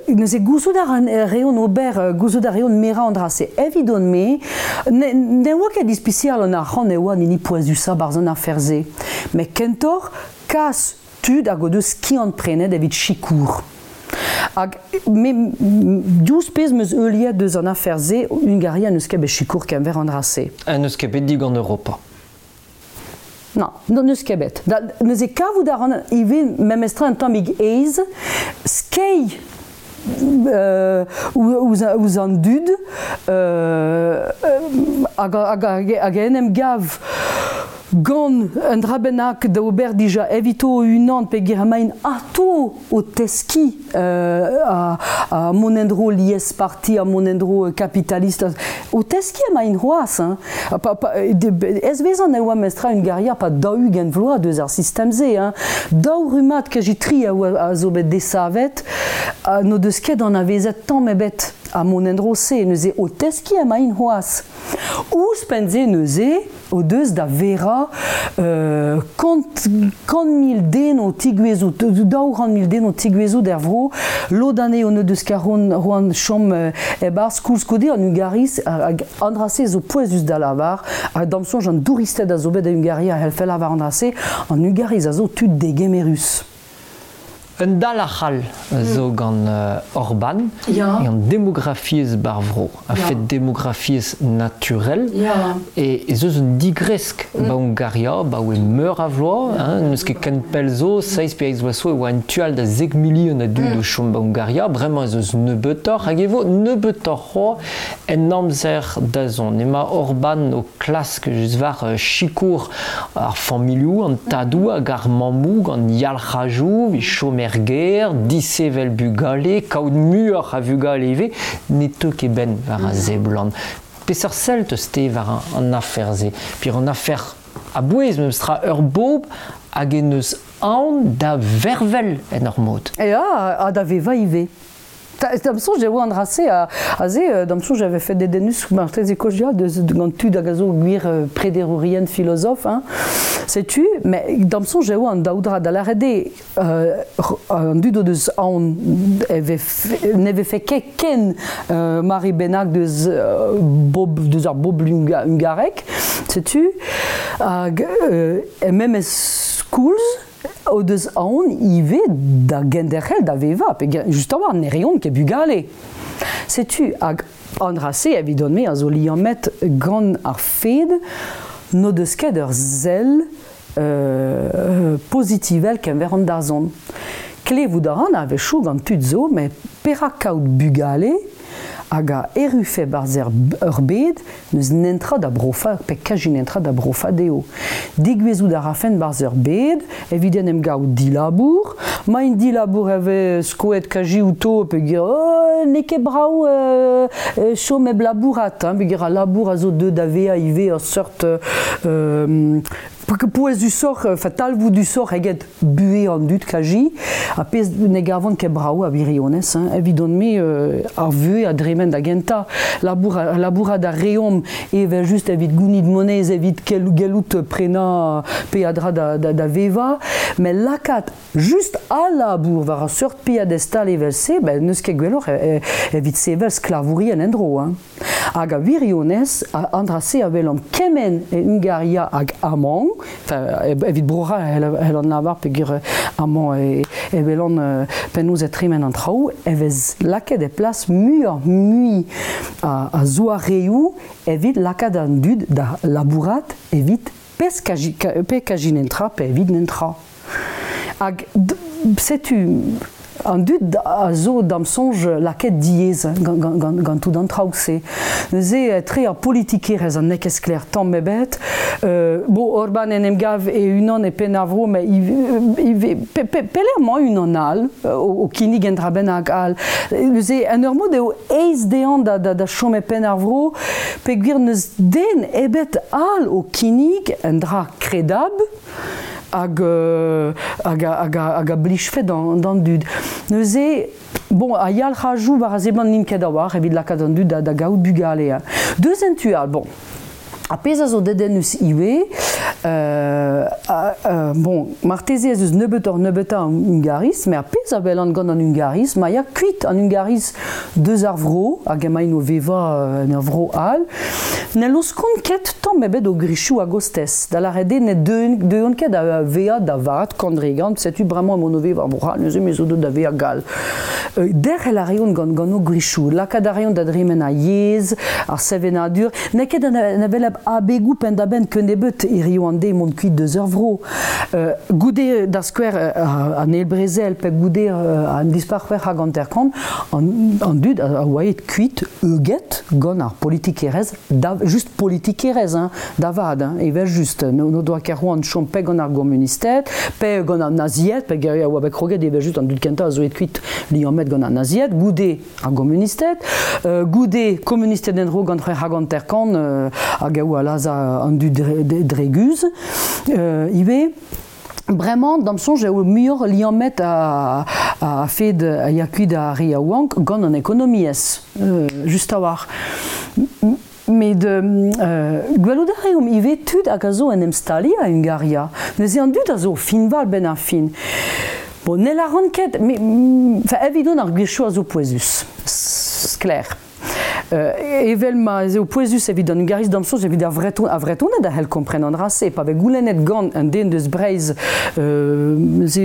Neuze gouzout a reont ober, gouzout a reont merañ an dra-se. Evidon-me, ne, ne oa ket ispisial an arc'hant e oa an hini pouezusañ barzh an afer-se. Met kentoc'h kas tud hag o deus skiant prenet evit sikour. Hag me, diouzh pezh 'm eus heuliet deus an afer-se, Hungaria n'eus ket bet sikour kenver an dra-se. Ha n'eus ket bet digant Europa. Non, n'eus ket bet. Da, neuze kavout a ran ivez memestra un tammig aes skeiñ ouzh an dud hag, hag, hag en em gav gant un dra bennak da ober dija evito o-unan peogwir emaint atô o teskiñ ha mont en-dro liesparti ha mont en-dro kapitalist o teskiñ emaint c'hoazh hein. Ez-vezan e oa mestra Hungaria pa 40 vloaz deus ar sistem-se hein. Daou rummad kazi tri a oa a zo bet desavet ha n'o deus ket anavezet tamm ebet ha mont en-dro-se neuze o teskiñ emaint c'hoazh. Ouzhpenn-se neuze o deus da verañ 100 000 den o tigouezout, 200 000 den o tigouezout er vro, lod anezho n'o deus ket c'hoant chom e-barzh koulskoude an Hungariz hag an dra-se zo pouezus da lavar, ha d'am soñj an douristed a zo bet da Hungaria a c'hellfe lavar an dra-se, an Hungariz a zo tud degemerus. Un dalc'h all zo gant Orban, Ya. eo an demografiezh bar vro, a-fet demografiezh naturel, e ez eus un digresk ba Hungaria, baoe meur a vloaz, hein, n'eus ket ken pell zo, 7 pe 8 vloaz zo e oa un tu all da 10 milion a dud o chom ba Hungaria, bremañ ez eus nebeutoc'h, hag e vo nebeutoc'h c'hoazh en amzer da zont. Emañ Orban o klask just war sikour ar familhoù, an tadoù hag ar mammoù gant yalc'hajoù, evit chom er gêr, disevel bugale, kaout muioc'h a vugale ivez, ne teu ket benn war a seblant. Peseurt sell teus te war an afer-se? Puis an afer a-bouez memestra ur bobl hag en deus aon da vervel en ur mod. Ya, ha da vevañ ivez. D'am soñj e oa an dra-se aze, d'am soñj j'avais fait dedennus marteze kozh deus gant tud hag a zo gwir prederourien filozof, hein. Setu, met d'am soñj e oa an daou dra da lâret eo an dud o deus aon e ne vefe ket ken mare bennak deus, bob, deus ar bobl hungarek, setu, hag e memes koulz o deus aon ivez da genderc'hel da vevañ, pe just a-walc'h ne reont ket bugale. Setu hag an dra-se evidon-me a zo liammet gant ar fed n'o deus ket ur sell pozitivel kenver an dazont. Klevout a ran a-wechoù gant tud zo, met perak kaout bugale hag a errufe barzh ur bed n'eus nentra da brofañ pe kazi nentra da brofañ dezho. Degouezhout a rafen barzh ur bed evit en em gaout dilabour, ma int dilabour e vez skoet kazi outo peogwir oh, n'eo ket brav chom hep labourat, hein, peogwir al labour a zo deuet da vezañ ivez ur seurt pouezusoc'h, enfin talvoudusoc'h eget buhez an dud kazi, ha pezh ne gavan ket brav a wirionez, hein, evidon-me ar vuhez a dremen da gentañ, labour, labourat a reomp evel just evit gounit moneiz, evit gellout prenañ peadra da vevañ, met lakaat just al labour war ar seurt piedestal evel-se, ben n'eus ket gwelloc'h evit sevel sklavourien en-dro, hein. Hag a wirionez, an dra-se a welomp kement e Hungaria hag amañ, enfin, evit Bro-C'hall hell an lavar peogwir amañ e welan penaos e tremen an traoù, e vez lakaet e plas muioc'h mui a zoareoù evit lakaat an dud da labourat evit pe kaji nentra pe evit nentra. Hag setu An dud a zo d'am soñj lakaet diaes gant tout an traoù-se. Neuze etre ar politikerezh an n'eo ket sklaer tamm ebet. Bon, Orban en em gav e-unan e penn ar vro, met pelec'h emañ unan all o kinnig un dra bennak all. Neuze, en ur mod eo aes dezhañ da chom e penn ar vro, peogwir n'eus den ebet all o kinnig un dra kredabl hag, hag, hag, hag a blijfe d'an dud. Neuze, bon, a yalc'hajoù war a seblant n'int ket a-walc'h evit lakaat an dud da gaout bugale. Deus en tu all, bon, ar pezh a zo dedennus ivez, bon, marteze ez eus nebeutoc'h-nebeutañ an Hungariz, met ar pezh a welan gant an Hungariz, ma ya kuit an Hungariz deus ar vro, hag emaint o vevañ en ur vro all, ne laoskont ket tamm ebet o gwrizioù a-gostez. Da lâret eo ne deuont ket da vezañ da vat kandregant, setu bremañ emaon o vevañ Bro-C'hall, neuze me zo deuet da vezañ gall. Derc'hel a reont gant o gwrizioù, lakaat a reont da dremen ar yezh, ar sevenadur. N'eo ket an hevelep abegoù penn-da-benn kennebeut hiziv an deiz mont kuit deus ur vro. Goude, da skouer, an eil brezel pe goude an dispac'h hag hanter-kant, an dud a oa aet kuit euget gant ar politikerezh, da, just politikerezh hein, da vat, hein, evel-just. N'o doa ket c'hoant chom pe gant ar gomunisted, pe gant an nazied, pe a oa bet kroget evel-just an dud kentañ a zo aet kuit liammet gant an nazied, goude ar gomunisted, goude komunisted en-dro gant 56 hag a oa lazhañ an dud dre guzh ivez. Bremañ, d'am soñj, eo muioc'h liammet a-fed a ya kuit ar re yaouank gant an ekonomiezh, just a-walc'h. Met gwelout a reomp ivez tud hag a zo en em staliañ e Hungaria. Neuze an dud a zo o fiñval benn ar fin. Bon, ne lâran ket, met evidon ar gwirioù a zo pouezus, sklaer. Evel ma ez eo pouezus evit an Hungariz d'am soñj evit ar Vreton, ar Vretoned a c'hell kompren an dra-se pa vez goulennet gant un den deus Breizh se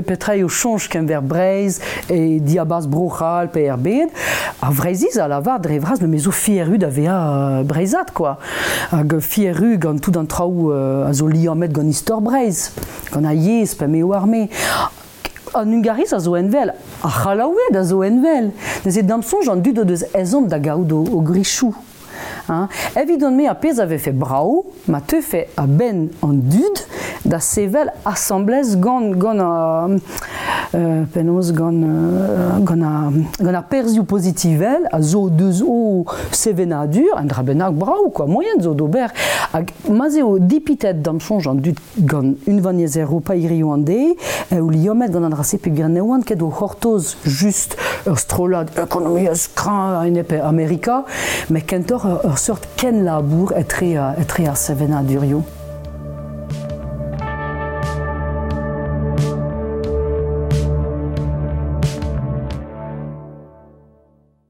petra eo soñj kenver Breizh e diabarzh Bro-C'hall pe er bed ar Vreizhiz a lavar dre vras me zo fier-ru da vezañ breizhat quoi hag fier-ru gant tout an traoù a zo liammet gant istor Breizh gant ar yezh pa m'eo arme An Hungariz a zo envel, ar C'hallaoued a zo envel. Neuze d'am soñj an dud o deus ezhomm da gaout o gwrizioù. Hein. Evidon-me ar pezh a vefe brav ma teufe a-benn an dud da sevel asambles gant gant ar penaos gant gant ar gant ar perzhioù pozitivel a zo deus o sevenadur un dra bennak brav quoi moaien zo d'ober hag ma'z eo dipitet d'am soñj an dud Gant unvaniezh Europa hiziv an deiz eo liammet gant an dra-se peogwir ne oant ket o c'hortoz just ur strollad ekonomiezh kreñv a-enep Amerika, met kentoc'h ur seurt kenlabour etre ar sevenadurioù.